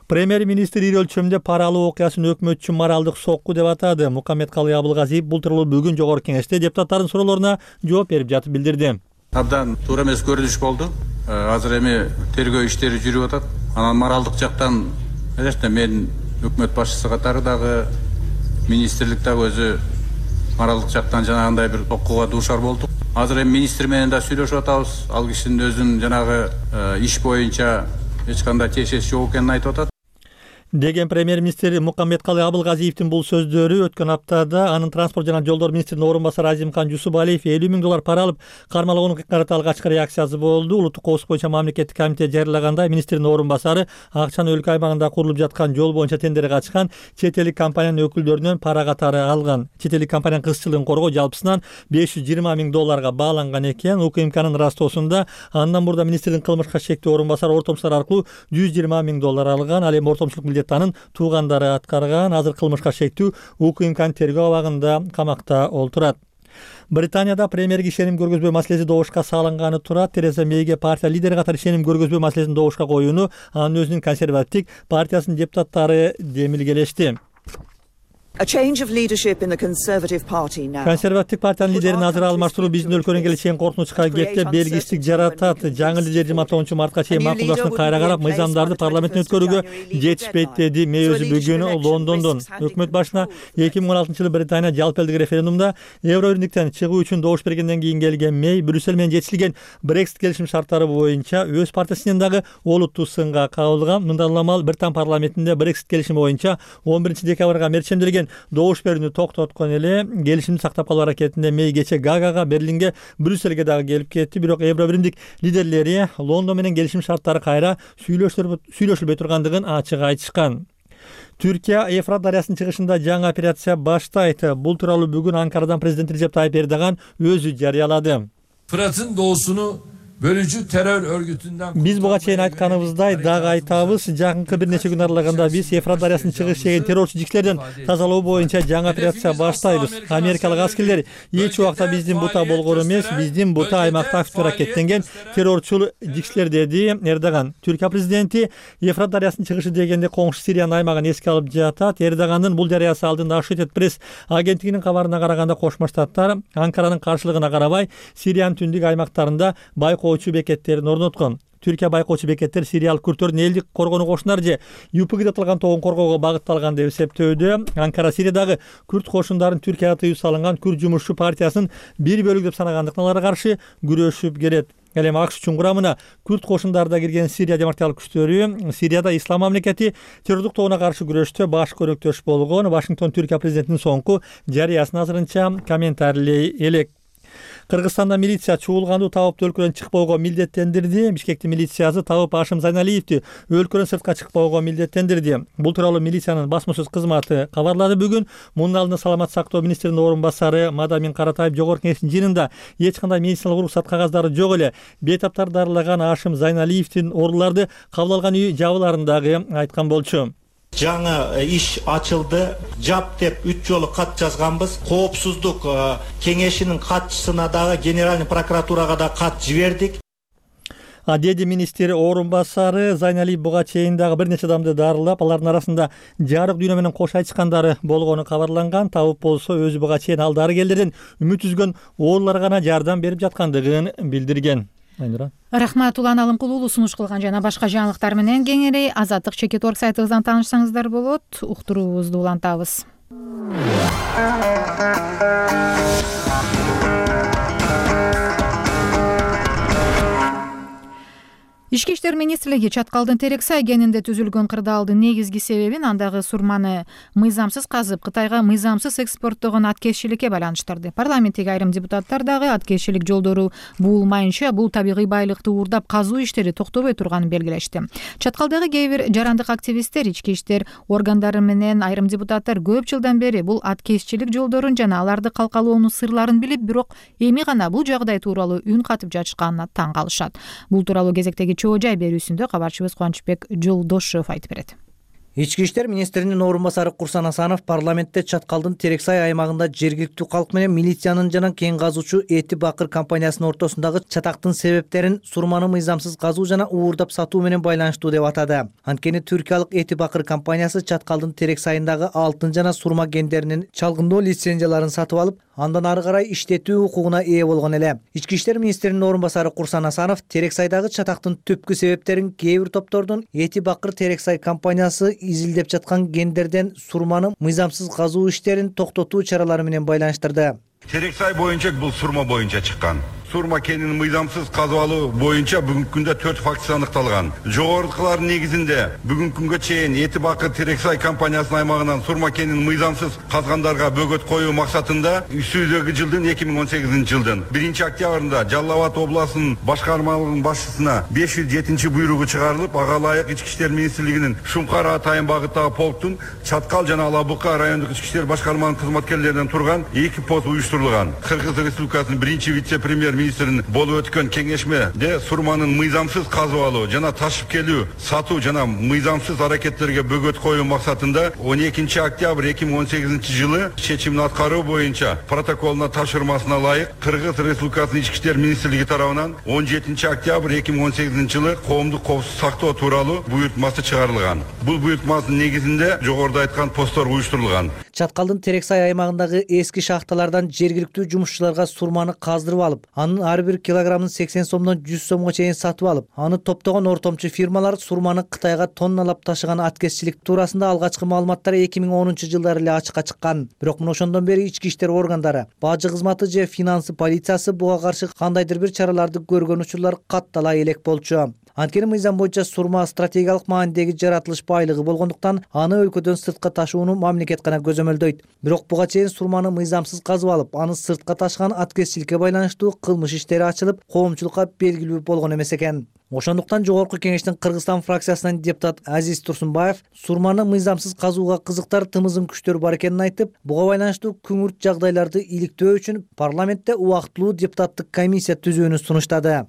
Премьер-министр ири өлчөмдө пара алуу окуясын өкмөтчү моралдык сокку деп атады. Мукаммедкалый Абылгазиев бул тууралуу бүгүн жогорку кеңеште депутаттардын суроолоруна жооп берип жатып билдирди. Абдан туура эмес көрүнүш болду. Азыр эми тергөө иштери жүрүп атат. Анан моралдык жактан эле мен өкмөт башчысы катары дагы министрлик дагы өзү моралдык жактан жанагындай бир окууга дуушар болдук. Азыр эми министр менен да сүйлөшүп атабыз. Ал кишинин өзүнүн жанагы иш боюнча эч кандай тиешеси жок экенин айтып атат. Деген премьер-министр Мукаммедкалый Абылгазиевдин бул сөздөрү өткөн аптада анын транспорт жана жолдор министринин орун басары Азимкан Жусубалиев элүү миң доллар пара алып кармалгонун карата алгачкы реакциясы болду. Улуттук коопсуздук боюнча мамлекеттик комитет жарыялагандай мминистрдин орун басары акчаны өлкө аймагында курулуп жаткан жол боюнча тендерге катышкан чет элдик компаниянын өкүлдөрүнөн пара катары алган. Чет элдик компаниянын кызчылыгын коргоо жалпысынан беш жүз жыйырма миң долларга бааланган экен. УКМКнын растоосунда андан мурда министрдин кылмышка чектөө орун басары ортомчулар аркылуу жүз жыйырма миң доллар алган. Ал эми ортомчулук милдет анын туугандары аткарган. Азыр кылмышка шектүү УКМКнын тергөө абагында камакта олтурат. Британияда премьерге ишеним көргөзбөө маселеси добушка салынганы турат. Тереза Мейге партия лидери катары ишеним көргөзбөө маселесин добушка коюуну анын өзүнүн консервативдик партиясынын депутаттары демилгелешти. Консервативдик партиянын лидерин азыр алмаштыруу биздин өлкөнүн келечегин коркунучка кептеп белгисиздик жаратат. Жаңы лидер жыйырма тогузунчу мартка чейин макулдашууну кайра карап, мыйзамдарды парламенттен өткөрүүгө жетишпейт деди. Мэй өзү бүгүн Лондондон. Өкмөт башына эки миң он алтынчы жылы Британия жалпы элдик референдумда Евро биримдиктен чыгуу үчүн добуш бергенден кийин келген Мэй Брюссель менен жетишилген Брексит келишим шарттары боюнча өз партиясынын дагы олуттуу сынга кабылган. Мындан Британ парламентинде Брексит келишими боюнча он биринчи декабрга мерчемделген добуш берүүнү токтоткон эле. Келишимди сактап калуу аракетинде Мэй кече Гаагага, Берлинге, Брюссельге дагы келип кетти. Бирок Евро биримдик лидерлери Лондон менен келишим шарттары кайра сүйлөшүлбөй тургандыгын ачык айтышкан. Түркия Эфрат дарыясынын чыгышында жаңы операция баштайт. Бул тууралуу бүгүн Анкарадан президент Режеп Тайып Эрдоган өзү жарыялады. Fırat'ın doğusunu bölücü terör örgütünden Биз буга чейин айтканыбыздай дагы айтабыз, жакынкы бир нече күн аралыгында биз Евфрат дарыясынын чыгыш жеген террорчу жикштерден тазалоо боюнча жаңы операция баштайбыз. Америкалык аскерлер эч убакта биздин бута болгон эмес, биздин бута аймакта актив аракеттенген террорчу жикштер, деди Эрдоган. Түркия президенти Евфрат дарыясынын чыгышы дегенде коңшу Сириянын аймагын эске алып жатат. Эрдогандын бул жарыясы алдында Associated Press агенттигинин кабарына караганда Кошмо Штаттар Анкаранын каршылыгына карабай Сириянын түндүк аймактарында байкоочу бекеттерин орноткон. Түркия байкоочу бекеттер сириялык күрттөрдүн элдик коргонуу кошуналар же ЮПГ деп аталган тобун коргоого багытталган деп эсептөөдө. Анкара Сириядагы күрт кошундарын Түркияга тыюу салынган Күрд жумушчу партиясынын бир бөлүгү деп санагандыктан аларга каршы күрөшүп келет. Ал эми АКШ үчүн курамына күрт кошундары да кирген Сирия демократиялык күчтөрү Сирияда ислам мамлекети террордук тобуна каршы күрөштө баш көрөктөш болгон. Вашингтон Түркия президентинин соңку жарыясын азырынча комментарийлей элек. Кыргызстанда милиция чуулганду табыпты өлкөдөн чыкпоого милдеттендирди. Бишкектин милициясы табып Ашым Зайналиевди өлкөдөн сыртка чыкпоого милдеттендирди. Бул тууралуу милициянын басма сөз кызматы кабарлады бүгүн. Мунун алдында саламат сактоо министринин орун басары Мадамин Каратаев жогорку кеңештин жыйынында эч кандай медициналык уруксат кагаздары жок эле. Бейтаптар дарылаган Ашым Зайналиевдин оруларды кабыл алган үй жабыларын дагы айткан болчу. Жаңы иш ачылды. Жап деп үч жолу кат жазганбыз. Коопсуздук кеңешинин катчысына дагы генеральный прокуратурага да кат жибердик. А деди министр орун басары Зайналиев буга чейин дагы бир нече адамды дарылап, алардын арасында жарык дүйнө менен кош айтышкандары болгону кабарланган. Табып болсо өзү буга чейин ал дарыгерлерден үмүт үзгөн оолуларга гана жардам берип жаткандыгын билдирген. Айнура. Рахмат, Улан Алымкулуулу сунуш кылган жана башка жаңылыктар менен кеңири азаттык чекит орг сайтыбыздан таанышсаңыздар болот. Уктуруубузду улантабыз. Ички иштер министрлиги Чаткалдын Терексай кенинде түзүлгөн кырдаалдын негизги себебин андагы сурманы мыйзамсыз казып Кытайга мыйзамсыз экспорттогон аткезчиликке байланыштырды. Парламенттеги айрым депутаттар дагы аткезчилик жолдору буулмайынча бул табигый байлыкты уурдап казуу иштери токтобой турганын белгилешти. Чаткалдагы кээ бир жарандык активисттер, ички иштер органдары менен айрым депутаттар көп жылдан бери бул аткезчилик жолдорун жана аларды калкалоонун сырларын билип, бирок эми гана бул жагдай тууралуу үн катып жатышканына таң калышат. Бул тууралуу кезектеги чоо жай берүүсүндө кабарчыбыз Кубанычбек Жолдошев айтып берет. Ички иштер министринин орун басары Курсан Асанов парламентте Чаткалдын Терексай аймагында жергиликтүү калк менен милициянын жана кен казуучу Эти Бакыр компаниясынын ортосундагы чатактын себептерин сурманы мыйзамсыз казуу жана уурдап сатуу менен байланыштуу деп атады. Анткени түркиялык Эти Бакыр компаниясы Чаткалдын Терексайындагы алтын жана сурма кендеринин чалгындоо лицензияларын сатып алып, андан ары карай иштетүү укугуна ээ болгон эле. Ички иштер министринин орун басары Курсан Асанов Терексайдагы чатактын түпкү себептерин кээ бир топтордун Эти Бакыр Терексай компаниясы изилдеп жаткан кендерден сурманы мыйзамсыз казуу иштерин токтотуу чаралары менен байланыштырды. Терексай боюнча бул сурма боюнча чыккан. Сурма кенин мыйзамсыз казып алуу боюнча бүгүнкү күндө төрт фактысы аныкталган. Жогорудукулардын негизинде бүгүнкү күнгө чейин Эти Бакыр Терексай компаниясынын аймагынан сурма кенин мыйзамсыз казгандарга бөгөт коюу максатында үстүдөгү жылдын эки миң он сегизинчи жылдын биринчи октябрында Жалал Абад областынын башкармалыгынын башчысына беш жүз жетинчи буйругу чыгарылып, ага ылайык ички иштер министрлигинин Шумкар атайын багыттагы полктун Чаткал жана Ала Бука райондук ички иштер башкармалыгынын кызматкерлеринен турган эки пост уюштурулган. Кыргыз Республикасынын биринчи вице-премьер министринин болуп өткөн кеңешмеде сурманын мыйзамсыз казып алуу жана ташып келүү, сатуу жана мыйзамсыз аракеттерге бөгөт коюу максатында он экинчи октябрь эки миң он сегизинчи жылы чечимин аткаруу боюнча протоколуна тапшырмасына ылайык Кыргыз Республикасынын ички иштер министрлиги тарабынан он жетинчи октябрь эки миң он сегизинчи жылы коомдук коопсуздук сактоо тууралуу буйртмасы чыгарылган. Бул буйртманын негизинде жогоруда айткан посттор уюштурулган. Чаткалдын Терексай аймагындагы эски шахталардан жергиликтүү жумушчуларга сурманы каздырып алып, анын ар бир килограммын сексен сомдон жүз сомго чейин сатып алып, аны топтогон ортомчу фирмалар сурманы Кытайга тонналап ташыган аткезчилик туурасында алгачкы маалыматтар эки миң онунчу жылдары эле ачыкка чыккан. Бирок мына ошондон бери ички иштер органдары, бажы кызматы же финансы полициясы буга каршы кандайдыр бир чараларды көргөн учурлар каттала элек болчу. Анткени мыйзам боюнча сурма стратегиялык маанидеги жаратылыш байлыгы болгондуктан аны өлкөдөн сыртка ташууну мамлекет гана көзөмөлдөйт. Бирок буга чейин сурманы мыйзамсыз казып алып, аны сыртка ташыган аткезчиликке байланыштуу кылмыш иштери ачылып, коомчулукка белгилүү болгон эмес экен. Ошондуктан жогорку кеңештин Кыргызстан фракциясынан депутат Азиз Турсунбаев сурманы мыйзамсыз казууга кызыктар тымызым күчтөр бар экенин айтып, буга байланыштуу күңүрт жагдайларды иликтөө үчүн парламентте убактылуу депутаттык комиссия түзүүнү сунуштады.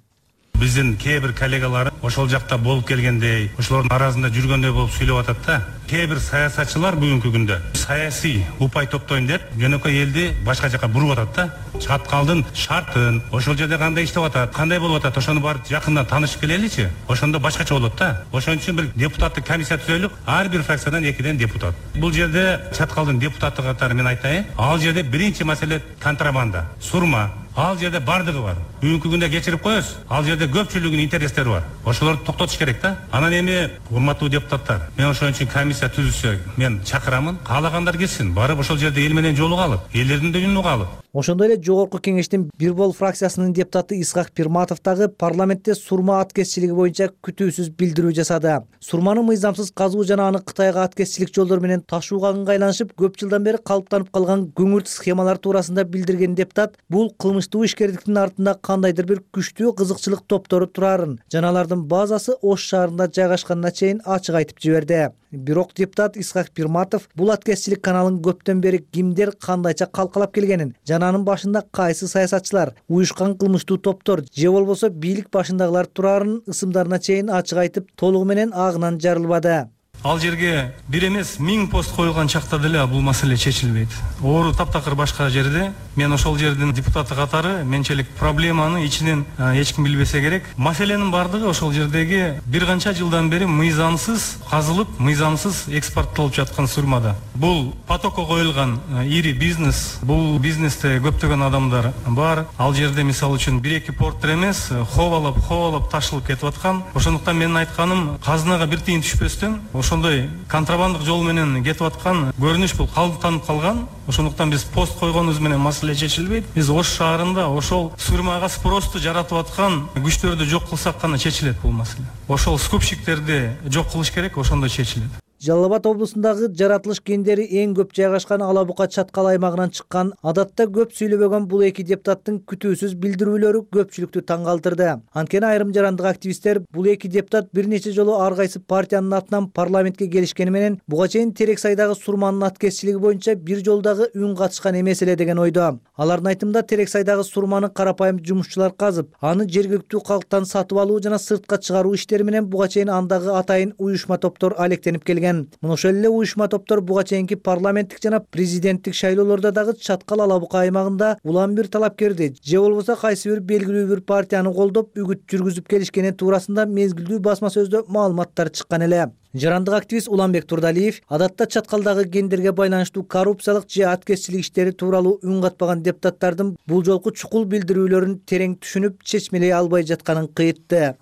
Биздин кээ бир коллегалар ошол жакта болуп келгендей, ошолордун арасында жүргөндөй болуп сүйлөп атат да. Кээ бир саясатчылар бүгүнкү күндө саясий упай топтойм деп жөнөкөй элди башка жака буруп атат да. Чаткалдын шартын, ошол жерде кандай иштеп атат, кандай болуп атат, ошону барып жакындан таанышып келеличи. Ошондо башкача болот да. Ошон үчүн бир депутаттык комиссия түзөлүп, ар бир фракциядан экиден депутат. Бул жерде Чаткалдын депутаты катары мен айтайын, ал жерде биринчи маселе контрабанда, сурма. Ал жерде бардыгы бар. Бүгүнкү күндө кечирип коебуз. Ал жерде көпчүлүгүнүн интерестери бар. Ошолорду токтотуш керек да. Анан эми урматтуу депутаттар, мен ошон үчүн комиссия түзүлсө, мен чакырамын. Каалагандар келсин, барып ошол жерде эл менен жолуга алып, элдердин да үнүн уга алып. Ошондой эле жогорку кеңештин бир бол фракциясынын депутаты Исхак Пирматов дагы парламентте сурма аткезчилиги боюнча күтүүсүз билдирүү жасады. Сурманы мыйзамсыз казуу жана аны Кытайга аткезчилик жолдор менен ташууга ыңгайланышып, көп жылдан бери калыптанып калган көңүрт схемалар туурасында билдирген депутат бул кылмыштуу ишкердиктин артында кандайдыр бир күчтүү кызыкчылык топтору турарын жана алардын базасы Ош шаарында жайгашканына чейин ачык айтып жиберди. Бирок депутат Исхак Пирматов бул аткезчилик каналын көптөн бери кимдер кандайча калкалап келгенин жана анын башында кайсы саясатчылар, уюшкан кылмыштуу топтор же болбосо бийлик башындагылар турарын ысымдарына чейин ачык айтып, толугу менен агынан жарылбады. Ал жерге бир эмес миң пост коюлган чакта деле бул маселе чечилбейт. Оору таптакыр башка жерде. Мен ошол жердин депутаты катары менчелик проблеманы ичинен эч ким билбесе керек. Маселенин бардыгы ошол жердеги бир канча жылдан бери мыйзамсыз казылып, мыйзамсыз экспорттолуп жаткан сурмада. Бул потокко коюлган ири бизнес, бул бизнесте көптөгөн адамдар бар. Ал жерде мисалы үчүн бир эки порттер эмес, ховалап, ховалап ташылып кетип аткан. Ошондуктан менин айтканым, казынага бир тиын түшпөстөн ошондой контрабандык жол менен кетип аткан көрүнүш бул калыптанып калган. Ошондуктан биз пост койгонубуз менен маселе чечилбейт. Биз Ош шаарында ошол сурмага спросту жаратып аткан күчтөрдү жок кылсак гана чечилет бул маселе. Ошол скупщиктерди жок кылыш керек, ошондо чечилет. Жалал Абад облусундагы жаратылыш кендери эң көп жайгашкан Ала Бука Чаткал аймагынан чыккан, адатта көп сүйлөбөгөн бул эки депутаттын күтүүсүз билдирүүлөрү көпчүлүктү таң калтырды. Анткени айрым жарандык активисттер бул эки депутат бир нече жолу ар кайсы партиянын атынан парламентке келишкени менен буга чейин Терексайдагы сурманын аткезчилиги боюнча бир жолдагы үн катышкан эмес эле деген ойдо. Алардын айтымында Терексайдагы сурманы карапайым жумушчулар казып, аны жергиликтүү калктан сатып алуу жана сыртка чыгаруу иштери менен буга чейин андагы атайын уюшма топтор алектенип келген. Мына ошол эле уюшма топтор буга чейинки парламенттик жана президенттик шайлоолордо дагы Чаткал Ала Бука аймагында улам бир талапкерди же болбосо кайсы бир белгилүү бир партияны колдоп үгүт жүргүзүп келишкени туурасында мезгилдүү басма сөздө маалыматтар чыккан эле. Жарандык активист Уланбек Турдалиев адатта Чаткалдагы кендерге байланыштуу коррупциялык же аткезчилик иштери тууралуу үн катпаган депутаттардын бул жолку чукул билдирүүлөрүн терең түшүнүп, чечмелей албай жатканын кыйтты.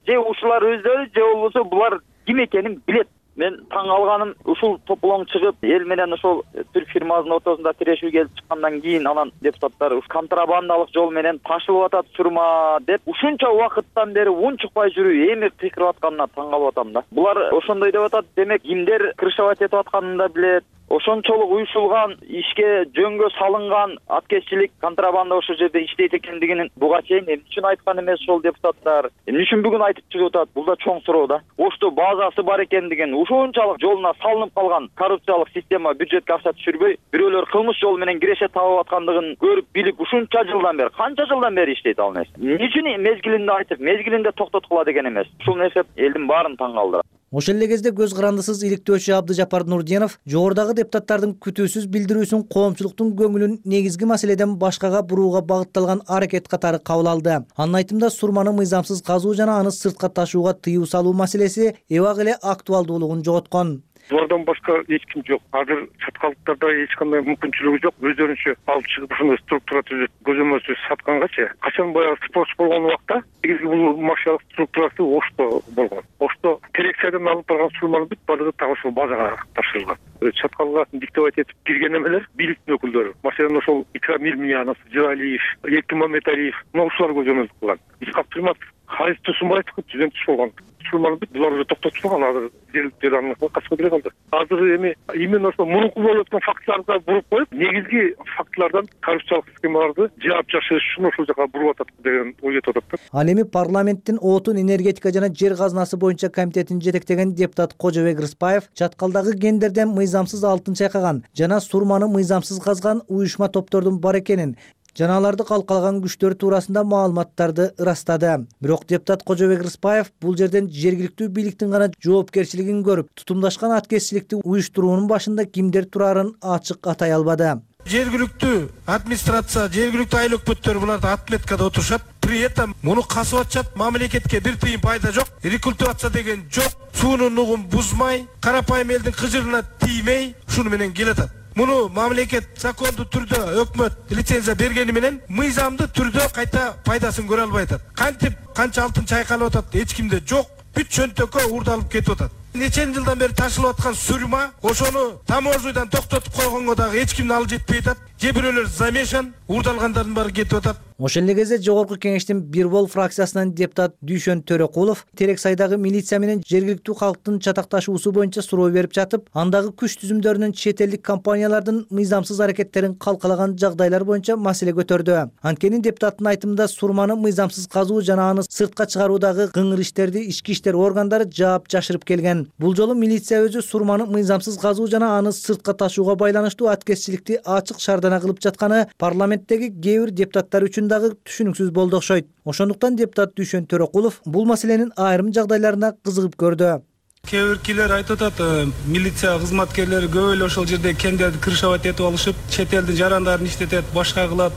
Же ушулар өздөрү же болбосо булар ким экенин билет. Мен таң алганым, ушул тополоң чыгып, эл менен ошол түрк фирмасынын ортосунда тирешүү келип чыккандан кийин анан депутаттар уш контрабандалык жол менен ташылып атат сурма деп ушунча убакыттан бери унчукпай жүрүү эми кыйкырып атканына таң калып атам да. Булар ошондой деп атат, демек кимдер крышевать этип атканын да билет. Ошончолук уюшулган ишке жөнгө салынган аткезчилик, контрабанда ошол жерде иштейт экендигин буга чейин эмне үчүн айткан эмес ошол депутаттар? Эмне үчүн бүгүн айтып чыгып атат? Бул да чоң суроо да. Ошто базасы бар экендигин, ушунчалык жолуна салынып калган коррупциялык система бюджетке акча түшүрбөй, бирөөлөр кылмыш жол менен киреше табып аткандыгын көрүп билип, ушунча жылдан бери, канча жылдан бери иштейт ал нерсе. Эмне үчүн мезгилинде айтып, мезгилинде токтоткула деген эмес? Ушул нерсе элдин баарын таң калтырат. Ошол эле кезде көз карандысыз иликтөөчү Абдыжапар Нурдинов жогорудагы депутаттардын күтүүсүз билдирүүсүн коомчулуктун көңүлүн негизги маселеден башкага бурууга багытталган аракет катары кабыл алды. Анын айтымында сурманы мыйзамсыз казуу жана аны сыртка ташууга тыюу салуу маселеси эбак эле актуалдуулугун жоготкон. Булардан башка эч ким жок. Азыр чаткалыктарда эч кандай мүмкүнчүлүгү жок. Өздөрүнчө алып чыгып ушундай структура түзүп, көзөмөлсүз саткангачы. Качан баягы спрос болгон убакта негизги бул мафиялык структурасы Ошто болгон. Ошто Терексайдан алып барган сурманын бүт баардыгы так ошол базага тапшырылган. Чаткалга диктовать этип кирген эмелер бийликтин өкүлдөрү. Маселен ошол Икрам Ирмиянов, Жыралиев, Эркин Мамедалиев, мына ушулар көзөмөлдүк кылган. Исхак Пирматов Халис Тусунбаев түзөн түш болгон. Сурманы бүт булар уже токтотулган, азыр жергиликтүү аны качып келе калды. Азыр эми именно ошол мурунку болуп аткан фактыларга буруп коюп, негизги фактылардан коррупциялык схемаларды жаап жашырыш үчүн ошол жака буруп атат деген ой кетип атат. Ал эми парламенттин отун, энергетика жана жер казынасы боюнча комитетин жетектеген депутат Кожобек Рыспаев Чаткалдагы кендерден мыйзамсыз алтын чайкаган жана сурманы мыйзамсыз казган уюшма топтордун бар экенин, жана аларды калкалаган күчтөр туурасында маалыматтарды ырастады. Бирок депутат Кожобек Рыспаев бул жерден жергиликтүү бийликтин гана жоопкерчилигин көрүп, тутумдашкан аткезчиликти уюштуруунун башында кимдер турарын ачык атай албады. Жергиликтүү администрация, жергиликтүү айыл өкмөттөр буларды отметкада отурушат. При этом муну касып атышат, мамлекетке бир тыйын пайда жок, рекультивация деген жок, суунун нугун бузмай, карапайым элдин кыжырына тиймей, шуну менен келатат. Муну мамлекет закондуу түрдө өкмөт лицензия бергени менен мыйзамдуу түрдө кайта пайдасын көрө албай атат. Кантип канча алтын чайкалып атат, эч кимде жок, бүт чөнтөккө уурдалып кетип атат. Нечен жылдан бери ташылып аткан сурма, ошону таможнядан токтотуп койгонго дагы эч кимдин алы жетпей атат. Же бирөөлөр замешан, уурдалгандардын баары кетип атат. Ошол эле кезде Жогорку Кеңештин Бир Бол фракциясынан депутат Дүйшөн Төрөкулов Терексайдагы милиция менен жергиликтүү калктын чатакташуусу боюнча суроо берип жатып, андагы күч түзүмдөрүнүн чет элдик компаниялардын мыйзамсыз аракеттерин калкалаган жагдайлар боюнча маселе көтөрдү. Анткени депутаттын айтымында сурманы мыйзамсыз казуу жана аны сыртка чыгаруудагы кыңыр иштерди ички иштер органдары жаап жашырып келген. Бул жолу милиция өзү сурманы мыйзамсыз казуу жана аны сыртка ташууга байланыштуу аткезчиликти ачык шаардана кылып жатканы парламенттеги кээ бир депутаттар үчүн дагы түшүнүксүз болду окшойт. Ошондуктан депутат Дүйшөн Төрөкулов бул маселенин айрым жагдайларына кызыгып көрдү. Кээ бир кишилер айтып атат, милиция кызматкерлери көп эле ошол жерде кендерди крышовать этип алышып, чет элдин жарандарын иштетет, башка кылат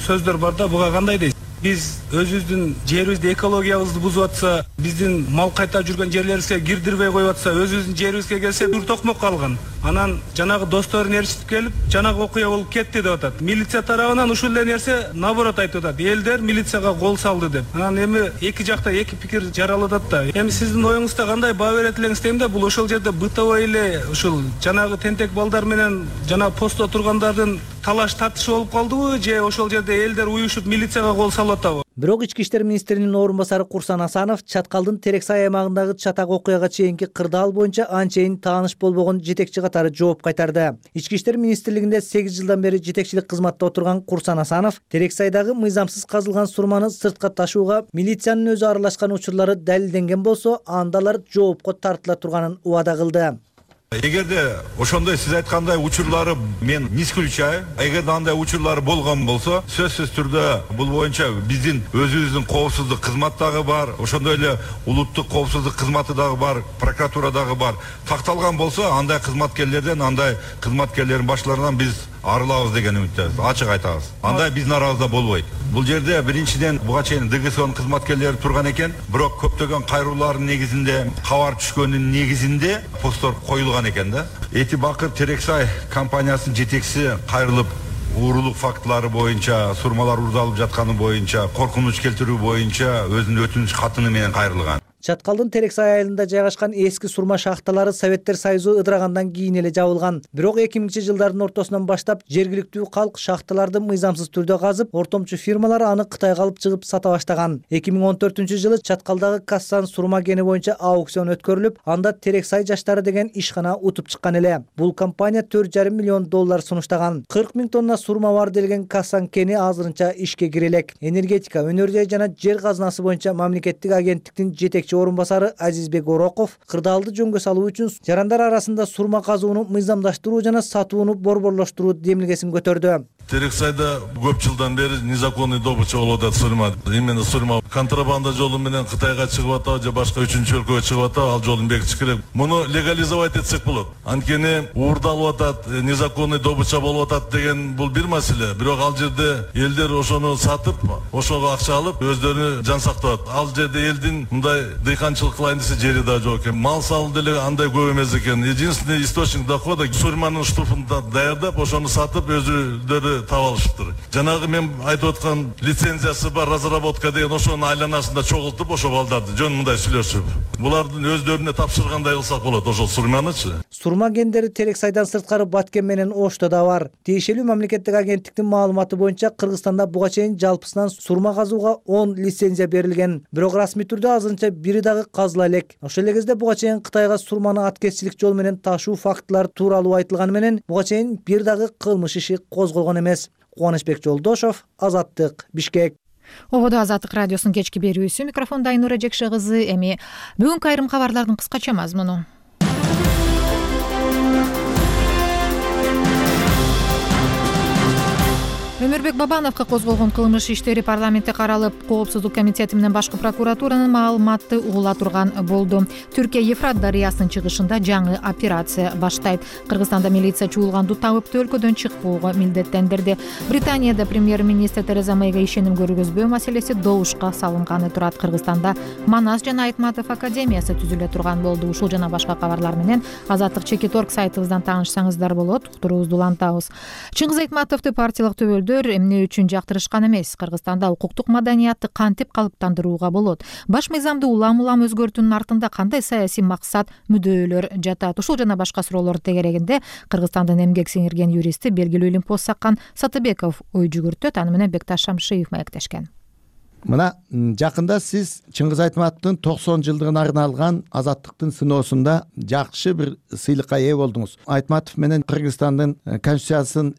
сөздөр бар да, буга кандай дейсиз? Биз өзүбүздүн жерибизди, экологиябызды бузуп атса, биздин мал кайта жүргөн жерлерибизге кирдирбей коюп атса, өзүбүздүн жерибизге келсе бир токмок калган. Анан жанагы досторун ээрчитип келип, жанагы окуя болуп кетти деп атат. Милиция тарабынан ушул эле нерсе наоборот айтып атат. Элдер милицияга кол салды деп. Анан эми эки жакта эки пикир жаралып атат да. Эми сиздин оюңузда кандай баа берет элеңиз дейм да, бул ошол жерде бытовой эле ушул жанагы тентек балдар менен жана постто тургандардын талаш тартышы болуп калдыбы, же ошол жерде элдер уюшуп милицияга кол салып атабы? Бирок ички иштер министринин орун басары Курсан Асанов Чаткалдын Терексай аймагындагы чатак окуяга чейинки кырдаал боюнча анчейин тааныш болбогон жетекчи катары жооп кайтарды. Ички иштер министрлигинде сегиз жылдан бери жетекчилик кызматта отурган Курсан Асанов Терексайдагы мыйзамсыз казылган сурманы сыртка ташууга милициянын өзү аралашкан учурлары далилденген болсо, анда алар жоопко тартыла турганын убада кылды. Эгерде ошондой сиз айткандай учурлары мен не исключаю, эгерде андай учурлары болгон болсо, сөзсүз түрдө бул боюнча биздин өзүбүздүн коопсуздук кызмат дагы бар, ошондой эле улуттук коопсуздук кызматы дагы бар, прокуратура дагы бар. Такталган болсо, андай кызматкерлерден, андай кызматкерлердин башларынан биз арылабыз деген үмүттөбүз, ачык айтабыз. Андай биздин арабызда болбойт. Бул жерде биринчиден буга чейин ДГСОнун кызматкерлери турган экен, бирок көптөгөн кайруулардын негизинде, кабар түшкөнүн негизинде посттор коюлган экен да. Эти Бакыр Терексай компаниясынын жетекчиси кайрылып, уурулук фактылары боюнча, сурмалар уурдалып жатканы боюнча, коркунуч келтирүү боюнча өзүнүн өтүнүч катыны менен кайрылган. Чаткалдын Терексай айылында жайгашкан эски сурма шахталары Советтер Союзу ыдырагандан кийин эле жабылган. Бирок эки миңинчи жылдардын ортосунан баштап жергиликтүү калк шахталарды мыйзамсыз түрдө казып, ортомчу фирмалар аны Кытайга алып чыгып сата баштаган. эки миң он төртүнчү жылы Чаткалдагы Кассан сурма кени боюнча аукцион өткөрүлүп, анда Терексай жаштары деген ишкана утуп чыккан эле. Бул компания төрт жарым миллион доллар сунуштаган. кырк миң тонна сурма бар делген Кассан кени азырынча ишке кире элек. Энергетика, өнөр жай жана жер казынасы боюнча мамлекеттик агенттиктин жетекчи орун басары Азизбек Ороков кырдаалды жөнгө салуу үчүн жарандар арасында сурма казууну мыйзамдаштыруу жана сатууну борборлоштуруу демилгесин көтөрдү. Терексайда көп жылдан бери незаконный добыча болуп атат сурма. Именно сурма контрабанда жолу менен Кытайга чыгып атабы же башка үчүнчү өлкөгө чыгып атабы, ал жолун бекитиш керек. Муну легализовать этсек болот. Анткени уурдалып атат, незаконный добыча болуп атат деген бул бир маселе. Бирок ал жерде элдер ошону сатып, ошого акча алып, өздөрүнү жан сактап атат. Ал жерде элдин мындай дыйканчылык кылайын десе жери да жок экен. Мал салуу деле андай көп эмес экен. Единственный источник дохода сурманын штуфун даярдап, ошону сатып өзүлөрү таап алышыптыр. Жанагы мен айтып аткан лицензиясы бар разработка деген ошонун айланасында чогултуп, ошо балдарды жөн мындай сүйлөшүп, булардын өздөрүнө тапшыргандай кылсак болот ошол сурманычы. Сурма кендери Терексайдан сырткары Баткен менен Ошто да бар. Тиешелүү мамлекеттик агенттиктин маалыматы боюнча Кыргызстанда буга чейин жалпысынан сурма казууга он лицензия берилген. Бирок расмий түрдө азырынча бири дагы казыла элек. Ошол эле кезде буга чейин Кытайга сурманы аткезчилик жол менен ташуу фактылары тууралуу айтылганы менен буга чейин бир дагы кылмыш иши козголгон эмес. Кубанычбек Жолдошов, Азаттык, Бишкек. Ободо Азаттык радиосунун кечки берүүсү, микрофондо Айнура Жекше кызы. Эми бүгүнкү айрым кабарлардын кыскача мазмуну. Өмүрбек Бабановго козголгон кылмыш иштери парламентте каралып, Коопсуздук комитети менен башкы прокуратуранын маалыматты угула турган болду. Түркия Ефрат дарыясынын чыгышында жаңы операция баштайт. Кыргызстанда милиция чуулганду табып, өлкөдөн чыкпоого милдеттендирди. Британияда премьер-министр Тереза Мэйге ишеним көргөзбөө маселеси добушка салынганы турат. Кыргызстанда Манас жана Айтматов академиясы түзүлө турган болду. Ушул жана башка кабарлар менен Азаттык чекит орг сайтыбыздан таанышсаңыздар болот. Уктуруубузду улантабыз. Чыңгыз Айтматовду партиялык төбөлдөр эмне үчүн жактырышкан эмес? Кыргызстанда укуктук маданиятты кантип калыптандырууга болот? Баш мыйзамды улам-улам өзгөртүүнүн артында кандай саясий максат, мүддөөлөр жатат? Ушул жана башка суроолор тегерегинде Кыргызстандын эмгек сиңирген юристи, белгилүү илим пост саккан Сатыбеков ой жүгүртөт. Аны менен Бекташ Шамшиев маектешкен. Мына жакында сиз Чыңгыз Айтматовдун токсон жылдыгына арналган Азаттыктын сыноосунда жакшы бир сыйлыкка ээ болдуңуз. Айтматов менен Кыргызстандын конституциясын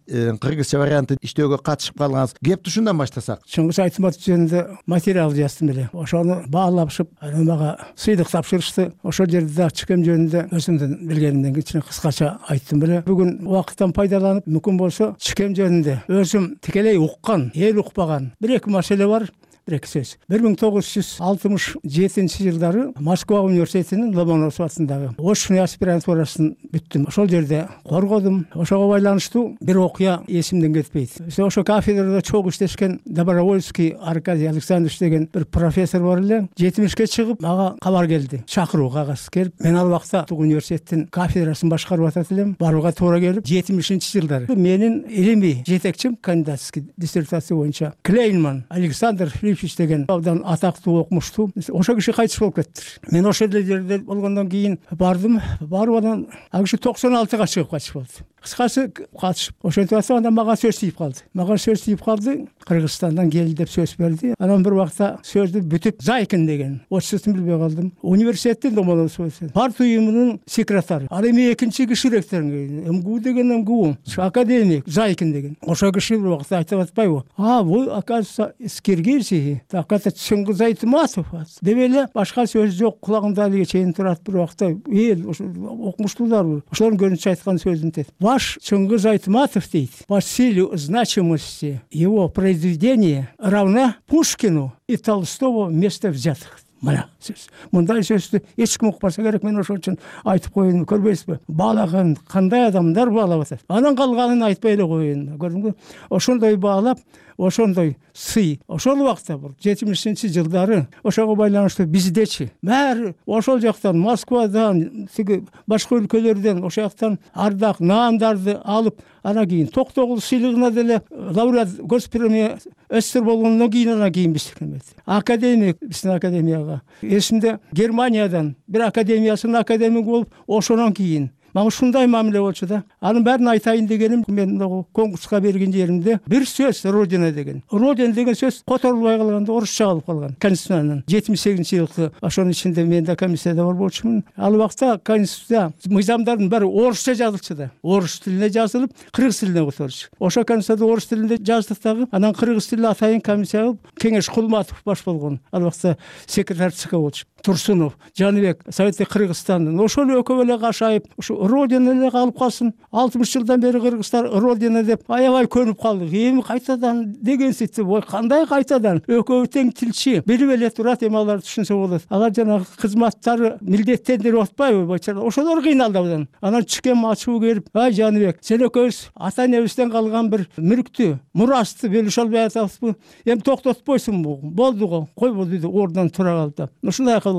кыргызча вариантын иштөөгө катышып калганыңыз. Кепти ушундан баштасак. Чыңгыз Айтматов жөнүндө материал жаздым эле. Ошону баалашып, мага сыйлык тапшырышты. Ошол жерде да чыкем жөнүндө өзүмдүн билгенимден кичине кыскача айттым эле. Бүгүн убакыттан пайдаланып, мүмкүн болсо чыкем жөнүндө өзүм тикелей уккан, эл укпаган бир эки маселе бар. Бир-эки сөз. бир миң тогуз жүз алтымыш жетинчи жылдары Москва университетинин Ломоносов атындагы очный аспирантурасын бүттүм. Ошол жерде коргодум. Ошого байланыштуу бир окуя эсимден кетпейт. Ошо кафедрада чогуу иштешкен Добровольский Аркадий Александрович деген бир профессор бар эле. жетимишке чыгып, мага кабар келди. Чакыруу кагаз келип, мен ал убакта университеттин кафедрасын башкарып атат элем. Барууга туура келип, жетимишинчи жылдары менин илимий жетекчим кандидатский диссертация боюнча Клейнман Александр деген абдан атактуу окумуштуу. Ошо киши кайтыш болуп кетти. Мен ошол жерде болгондон кийин бардым. Барып анан ал киши токсон алтыга чыгып кайтыш болду. Кыскасы катышып, ошентип атсам, андан мага сөз тийип калды. Мага сөз тийип калды. Кыргызстандан келди деп сөз берди. Анан бир убакта сөздү бүтүп, Зайкин деген, отчествосун билбей калдым. Университеттин Ломоносов парт уюмунун секретары. Ал эми экинчи киши ректор, МГУ деген МГУ, академик Зайкин деген. Ошол киши бир убакта айтып атпайбы? А, бул оказывается из Киргизии. Так это Чыңгыз Айтматов деп эле башка сөз жок, кулагымда алиге чейин турат. Бир убакта эл окумуштуулар ошолордун көзүнчө айткан сөзүн тет. Ваш Чыңгыз Айтматов дейт, по силе значимости его произведения равна Пушкину и Толстого вместе взятых. Мына сөз. Мындай сөздү эч ким укпаса керек, мен ошол үчүн айтып коеюн, көрбөйсүзбү? Баалаган кандай адамдар баалап атат. Анан калганын айтпай эле коеюн. Көрдүңбү? Ошондой баалап, ошондой сый. Ошол убакта жетимишинчи жылдары ошого байланыштуу биздечи баары ошол жактан, Москвадан, тиги башка өлкөлөрдөн ошол жактан ардак наандарды алып, анан кийин Токтогул сыйлыгына деле лауреат госпремия СССР болгондон кийин анан кийин биз келмеди. Академик биздин академияга. Эсимде Германиядан бир академиясынын академиги болуп, ошондон кийин мага ушундай мамиле болчу да. Анын баарын айтайын дегеним, мен конкурска берген жеримде бир сөз Родина деген. Родина деген сөз которулбай калганда орусча калып калган. Конституциянын жетимиш сегизинчи жылкы ошонун ичинде мен да комиссияда бар болчумун. Ал убакта конституция мыйзамдардын баары орусча жазылчу да. Орус тилине жазылып, кыргыз тилине которчу. Ошо конституцияда орус тилинде жаздык дагы, анан кыргыз тили атайын комиссия кылып, Кеңеш Кулматов баш болгон. Ал убакта секретарь ЦК болчу. Турсунов, Жаныбек, Советтик Кыргызстандын ошол экөө эле кашайып, ушу Родина эле калып калсын. алтымыш жылдан бери кыргыздар Родина деп аябай көнүп калдык. Эми кайтадан деген сетти, ой, кандай кайтадан? Экөө тең тилчи, билип эле турат, эми алар түшүнсө болот. Алар жана кызматтары милдеттендирип атпайбы, бачар? Ошолор кыйналды абдан. Анан чыкем ачуу келип, ай Жаныбек, сен экөөбүз ата энебизден калган бир мүлктү, мурасты бөлүшө албай атабызбы? Эми токтотпойсуңбу? Болду го, койбу деди, ордунан тура калды. Ушундай кылып.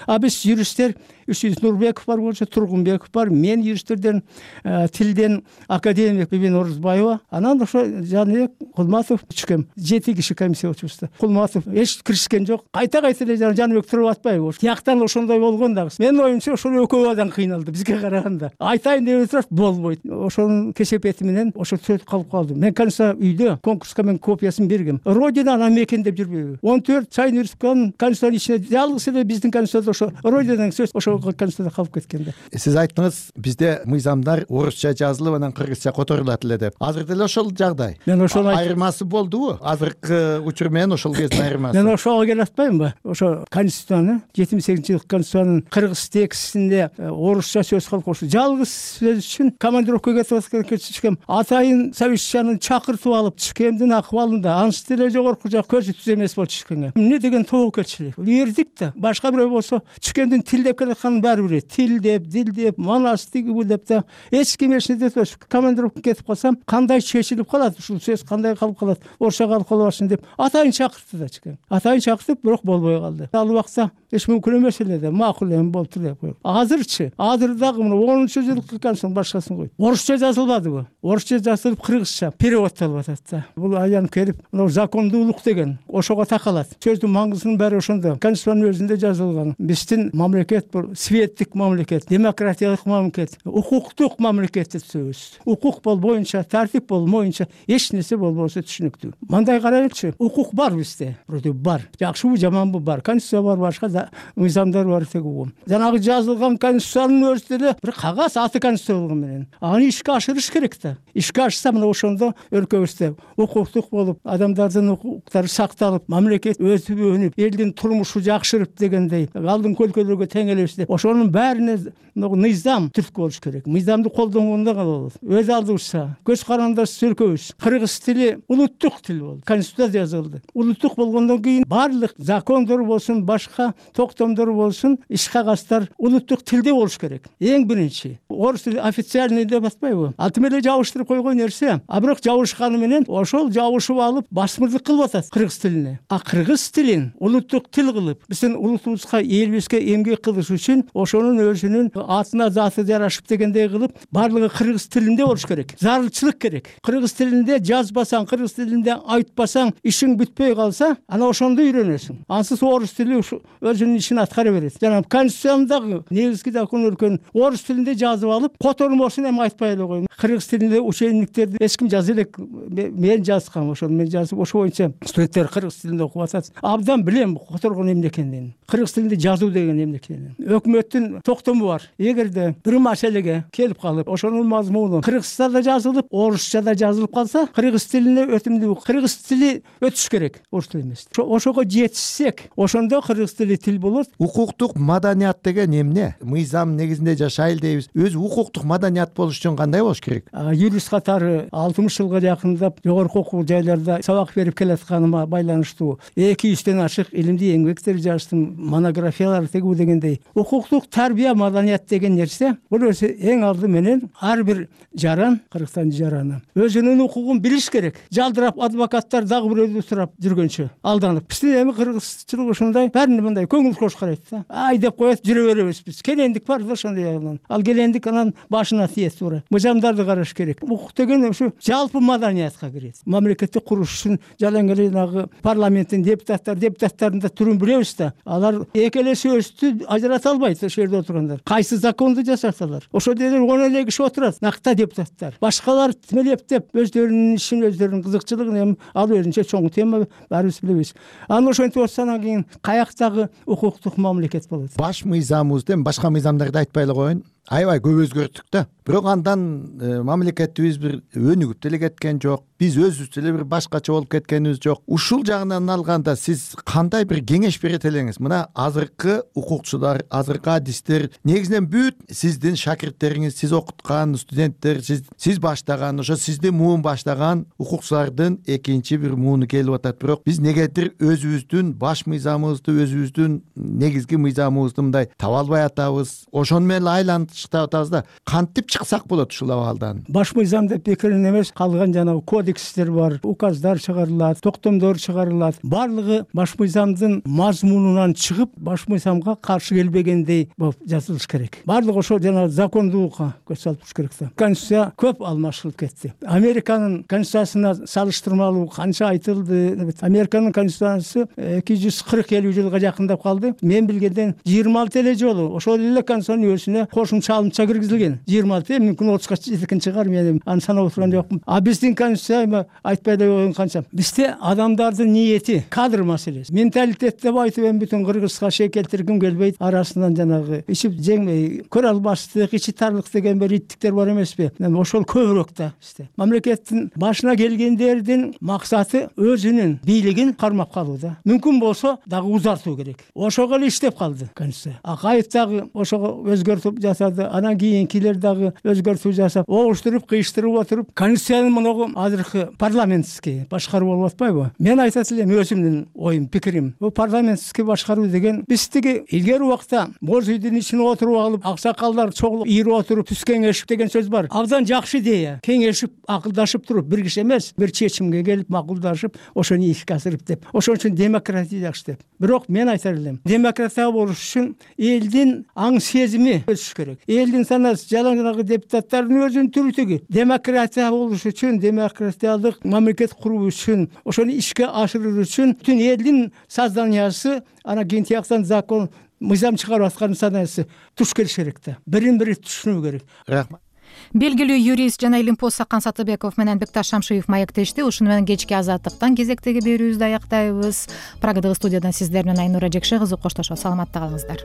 А биз юристтер, Үчүз Нурбеков бар болчу, Тургунбеков бар, мен юристтерден, тилден академик Бибин Орузбаева, анан ошо Жаныбек, Кулматов чыкем. Жети киши комиссия болчубуз. Кулматов эч киришкен жок. Кайта-кайта эле Жаныбек туруп атпайбы? Тияктан ошондой болгон дагы. Менин оюмча ошол экөө адам кыйналды бизге караганда. Айтайын деп турат, болбойт. Ошонун кесепети менен ошо төрт калып калды. Мен канча үйдө конкурска мен копиясын бергем. Родина аны мекендеп жүрбөйбү? он төрт Чайын Республиканын конституциянын ичинде жалгыз эле биздин конституцияда ошо родина деген сөз ошол конституцияда калып кеткен да. Сиз айттыңыз, бизде мыйзамдар орусча жазылып анан кыргызча которулат эле деп. Азыр деле ошол жагдай. Мен ошол айырмасы болдубу? Азыркы учур менен ошол кездин айырмасы. Мен ошого келе атпаймынбы? Ошо конституцияны жетимиш сегизинчи жылкы конституциянын кыргыз текстинде орусча сөз кылып коюшу. Жалгыз сөз үчүн командировкага кетип аткан чичкем атайын совещанияны чакыртып алып, чичкемдин акыбалында анча деле жогорку жак көзү түз эмес болчу чичкемге. Эмне деген тобокелчилик? Эрдик да. Башка бирөө болсо чичкемдин тил деп келатканын баары билет. Тил деп, дил деп, манас тиги бу деп да эч ким эч нерсе дебес. Командировкага кетип калсам, кандай чечилип калат, ушул сөз кандай калып калат, орусча калып калбасын деп атайын чакыртты да чичкем. Атайын чакыртып, бирок болбой калды. Ал убакта эч мүмкүн эмес эле да, макул эми болуптур деп коюп. Азырчы, азыр дагы мына онунчу жылкы конституциянын башкасын кой. Орусча жазылбадыбы? Орусча жазылып кыргызча переводтолуп атат да. Бул аянып келип, мына закондуулук деген ошого такалат. Сөздүн маңызынын баары ошондо. Конституциянын өзүндө жазылган. Биздин мамлекет бул светтик мамлекет, демократиялык мамлекет, укуктук мамлекет деп сөз. Укук болбоюнча, тартип болбоюнча эч нерсе болбосо түшүнүктүү. Мындай карайлычы, укук бар бизде. Вроде бар. Жакшыбы, жаманбы бар. Конституция бар, башка да мыйзамдар бар тегүү. Жанагы жазылган конституциянын өзү деле бир кагаз аты конституция болгон менен. Аны ишке ашырыш керек да. Ишке ашса мына ошондо өлкөбүздө укуктук болуп, адамдардын укуктары сакталып, мамлекет өсүп өнүп, элдин турмушу жакшырып дегендей, алдыңкы өлкөлөргө тең элебиз деп. Ошонун баарына мыйзам түрткү болуш керек. Мыйзамды колдонгондо гана болот. Өз алдыбызда көз карандыбыз өлкөбүз кыргыз тили улуттук тил болду. Конституция жазылды. Улуттук болгондон кийин баардык закондор болсун, башка токтомдор болсун, иш кагаздар улуттук тилде болуш керек. Эң биринчи. Орус тили официальный деп атпайбы? Аты менен жабыштырып койгон нерсе. А бирок жабышканы менен ошол жабышып алып басмырлык кылып атат кыргыз тилине. А кыргыз тилин улуттук тил кылып, биздин улутубузга, элибизге эмгек кылыш үчүн ошонун өзүнүн атына заты жарашып дегендей кылып, баардыгы кыргыз тилинде болуш керек. Зарылчылык керек. Кыргыз тилинде жазбасаң, кыргыз тилинде айтпасаң, ишиң бүтпөй калса, ана ошондо үйрөнөсүң. Ансыз орус тили өзүнүн ишин аткара берет. Жана конституцияндагы негизги закон өлкөнүн орус тилинде жазып алып, котормосун эми айтпай эле коюм. Кыргыз тилинде учебниктерди эч ким жаза элек, мен жазгам, ошону мен жазып, ошо боюнча студенттер кыргыз тилинде окуп атат. Абдан билем которгон эмне экенин. Кыргыз тилинде жазуу деген эмне экенин. Өкмөттүн токтому бар. Эгерде бир маселеге келип калып, ошонун мазмуну кыргызчада жазылып, орусчада жазылып калса, кыргыз тилине өтүмдүү кыргыз тили өтүш керек, орус тили эмес. Ошого жетишсек, ошондо кыргыз тили тил болот. Укуктук маданият деген эмне? Мыйзам негизинде жашайлы дейбиз. Өзү укуктук маданият болуш үчүн кандай болуш керек? Юрист катары алтымыш жылга жакындап жогорку окуу жайларда сабак берип келатканыма байланыштуу эки жүздөн ашык илимдүү еңбектер жаздым, монографиялар тегүү дегендей. Укуктук тарбия маданият деген нерсе, бул өзү эң алды менен ар бир жаран, кыргызстан жараны өзүнүн укугун билиш керек. Жалдырап адвокаттар дагы бирөөдү сурап жүргөнчө алданып. Биздин эми кыргызчылык ушундай, бәрүнө мындай көңүл кош карайт да. Ай деп коет, жүрө беребиз биз. Келендик бар да ошондой анан. Ал келендик анан башына тиет туура. Мыйзамдарды караш керек. Укук деген ушу жалпы маданиятка кирет. Мамлекетти куруш үчүн жалаң эле жанагы парламенттин депутаттар, депутаттардын да түрүн билебиз да. Алар эки эле сөздү ажырата албайт ошол жерде отургандар. Кайсы законду жасасалар. Ошол жерде он эле киши отурат, накта депутаттар. Башкалар тимелептеп өздөрүнүн ишин, өздөрүнүн кызыкчылыгын эми ал өзүнчө чоң тема, баарыбыз билебиз. Анан ошентип отсанан кийин каяктагы укуктук мамлекет болот. Баш мыйзамыбызды башка мыйзамдарды айтпай эле коеюн. Аябай көп өзгөрттүк да. Бирок андан мамлекетибиз бир өнүгүп деле кеткен жок. Биз өзүбүз деле бир башкача болуп кеткенибиз жок. Ушул жагынан алганда сиз кандай бир кеңеш берет элеңиз? Мына азыркы укукчулар, азыркы адистер, негизинен бүт сиздин шакирттериңиз, сиз окуткан студенттер, сиз сиз баштаган, ошо сиздин муун баштаган укукчулардын экинчи бир мууну келип атат. Бирок биз негедир өзүбүздүн баш мыйзамыбызды, өзүбүздүн негизги мыйзамыбызды мындай таба албай атабыз. Ошону менен айлантып атабыз да. Кантип чыксак болот ушул абалдан? Баш мыйзам деп бекерин эмес, калган жанагы кодекстер бар, указдар чыгарылат, токтомдор чыгарылат. Барлыгы баш мыйзамдын мазмунунан чыгып, баш мыйзамга каршы келбегендей болуп жазылыш керек. Барлыгы ошо жана закондуулукка көз салып туруш керек да. Конституция көп алмашылып кетти. Американын конституциясына салыштырмалуу канча айтылды. Американын конституциясы эки жүз кырк элүү жылга жакындап калды. Мен билгенден жыйырма алты эле жолу ошол эле конституциянын өзүнө кошумча алымча киргизилген. жыйырма алты, мүмкүн отузга жеткен чыгар, мен аны санап отурган жокмун. А биздин конституция айма айтпай эле койгон канча. Бизде адамдардын ниети, кадр маселеси, менталитет деп айтып эми бүтүн Кыргызга шек келтиргим келбейт. Арасынан жанагы ичип жеңмей, көрө албаштык, ичи тарлык деген бир иттиктер бар эмеспи? Ошол көбүрөөк да бизде. Мамлекеттин башына келгендердин максаты өзүнүн бийлигин кармап калуу да. Мүмкүн болсо дагы узартуу керек. Ошого эле иштеп калды конституция. Акаев дагы ошого өзгөртүп жасады. Анан кийинкилер дагы өзгөртүү жасап, огуштуруп, кыйыштырып отуруп, конституциянын мынагы азыркы парламентский башкаруу болуп атпайбы? Мен айтат элем өзүмдүн оюм, пикирим. Бул парламентский башкаруу деген биздики илгери убакта боз үйдүн ичине отуруп алып, аксакалдар чогулуп, ийирип отуруп, түз кеңешип деген сөз бар. Абдан жакшы идея. Кеңешип, акылдашып туруп, бир киши эмес, бир чечимге келип, макулдашып, ошону ишке асырып деп. Ошон үчүн демократия жакшы деп. Бирок мен айтар элем, демократия болуш үчүн элдин аң сезими өсүш керек. Элдин санасы жалаңгы депутаттардын өзүнүн түрүтүгү. Демократия болуш үчүн, демократиялык мамлекет куруу үчүн, ошону ишке ашыруу үчүн бүтүн элдин созданиясы, ана кийин тияктан закон, мыйзам чыгарып аткан санасы туш келиш керек да. Бирин-бири түшүнүү керек. Рахмат. Белгилүү юрист жана илимпоз Сакан Сатыбеков менен Бекташ Шамшиев маектешти. Ушуну менен кечки азаттыктан кезектеги берүүбүздү аяктайбыз. Прагадагы студиядан сиздер менен Айнура Жекше кызы коштошот. Саламатта калыңыздар.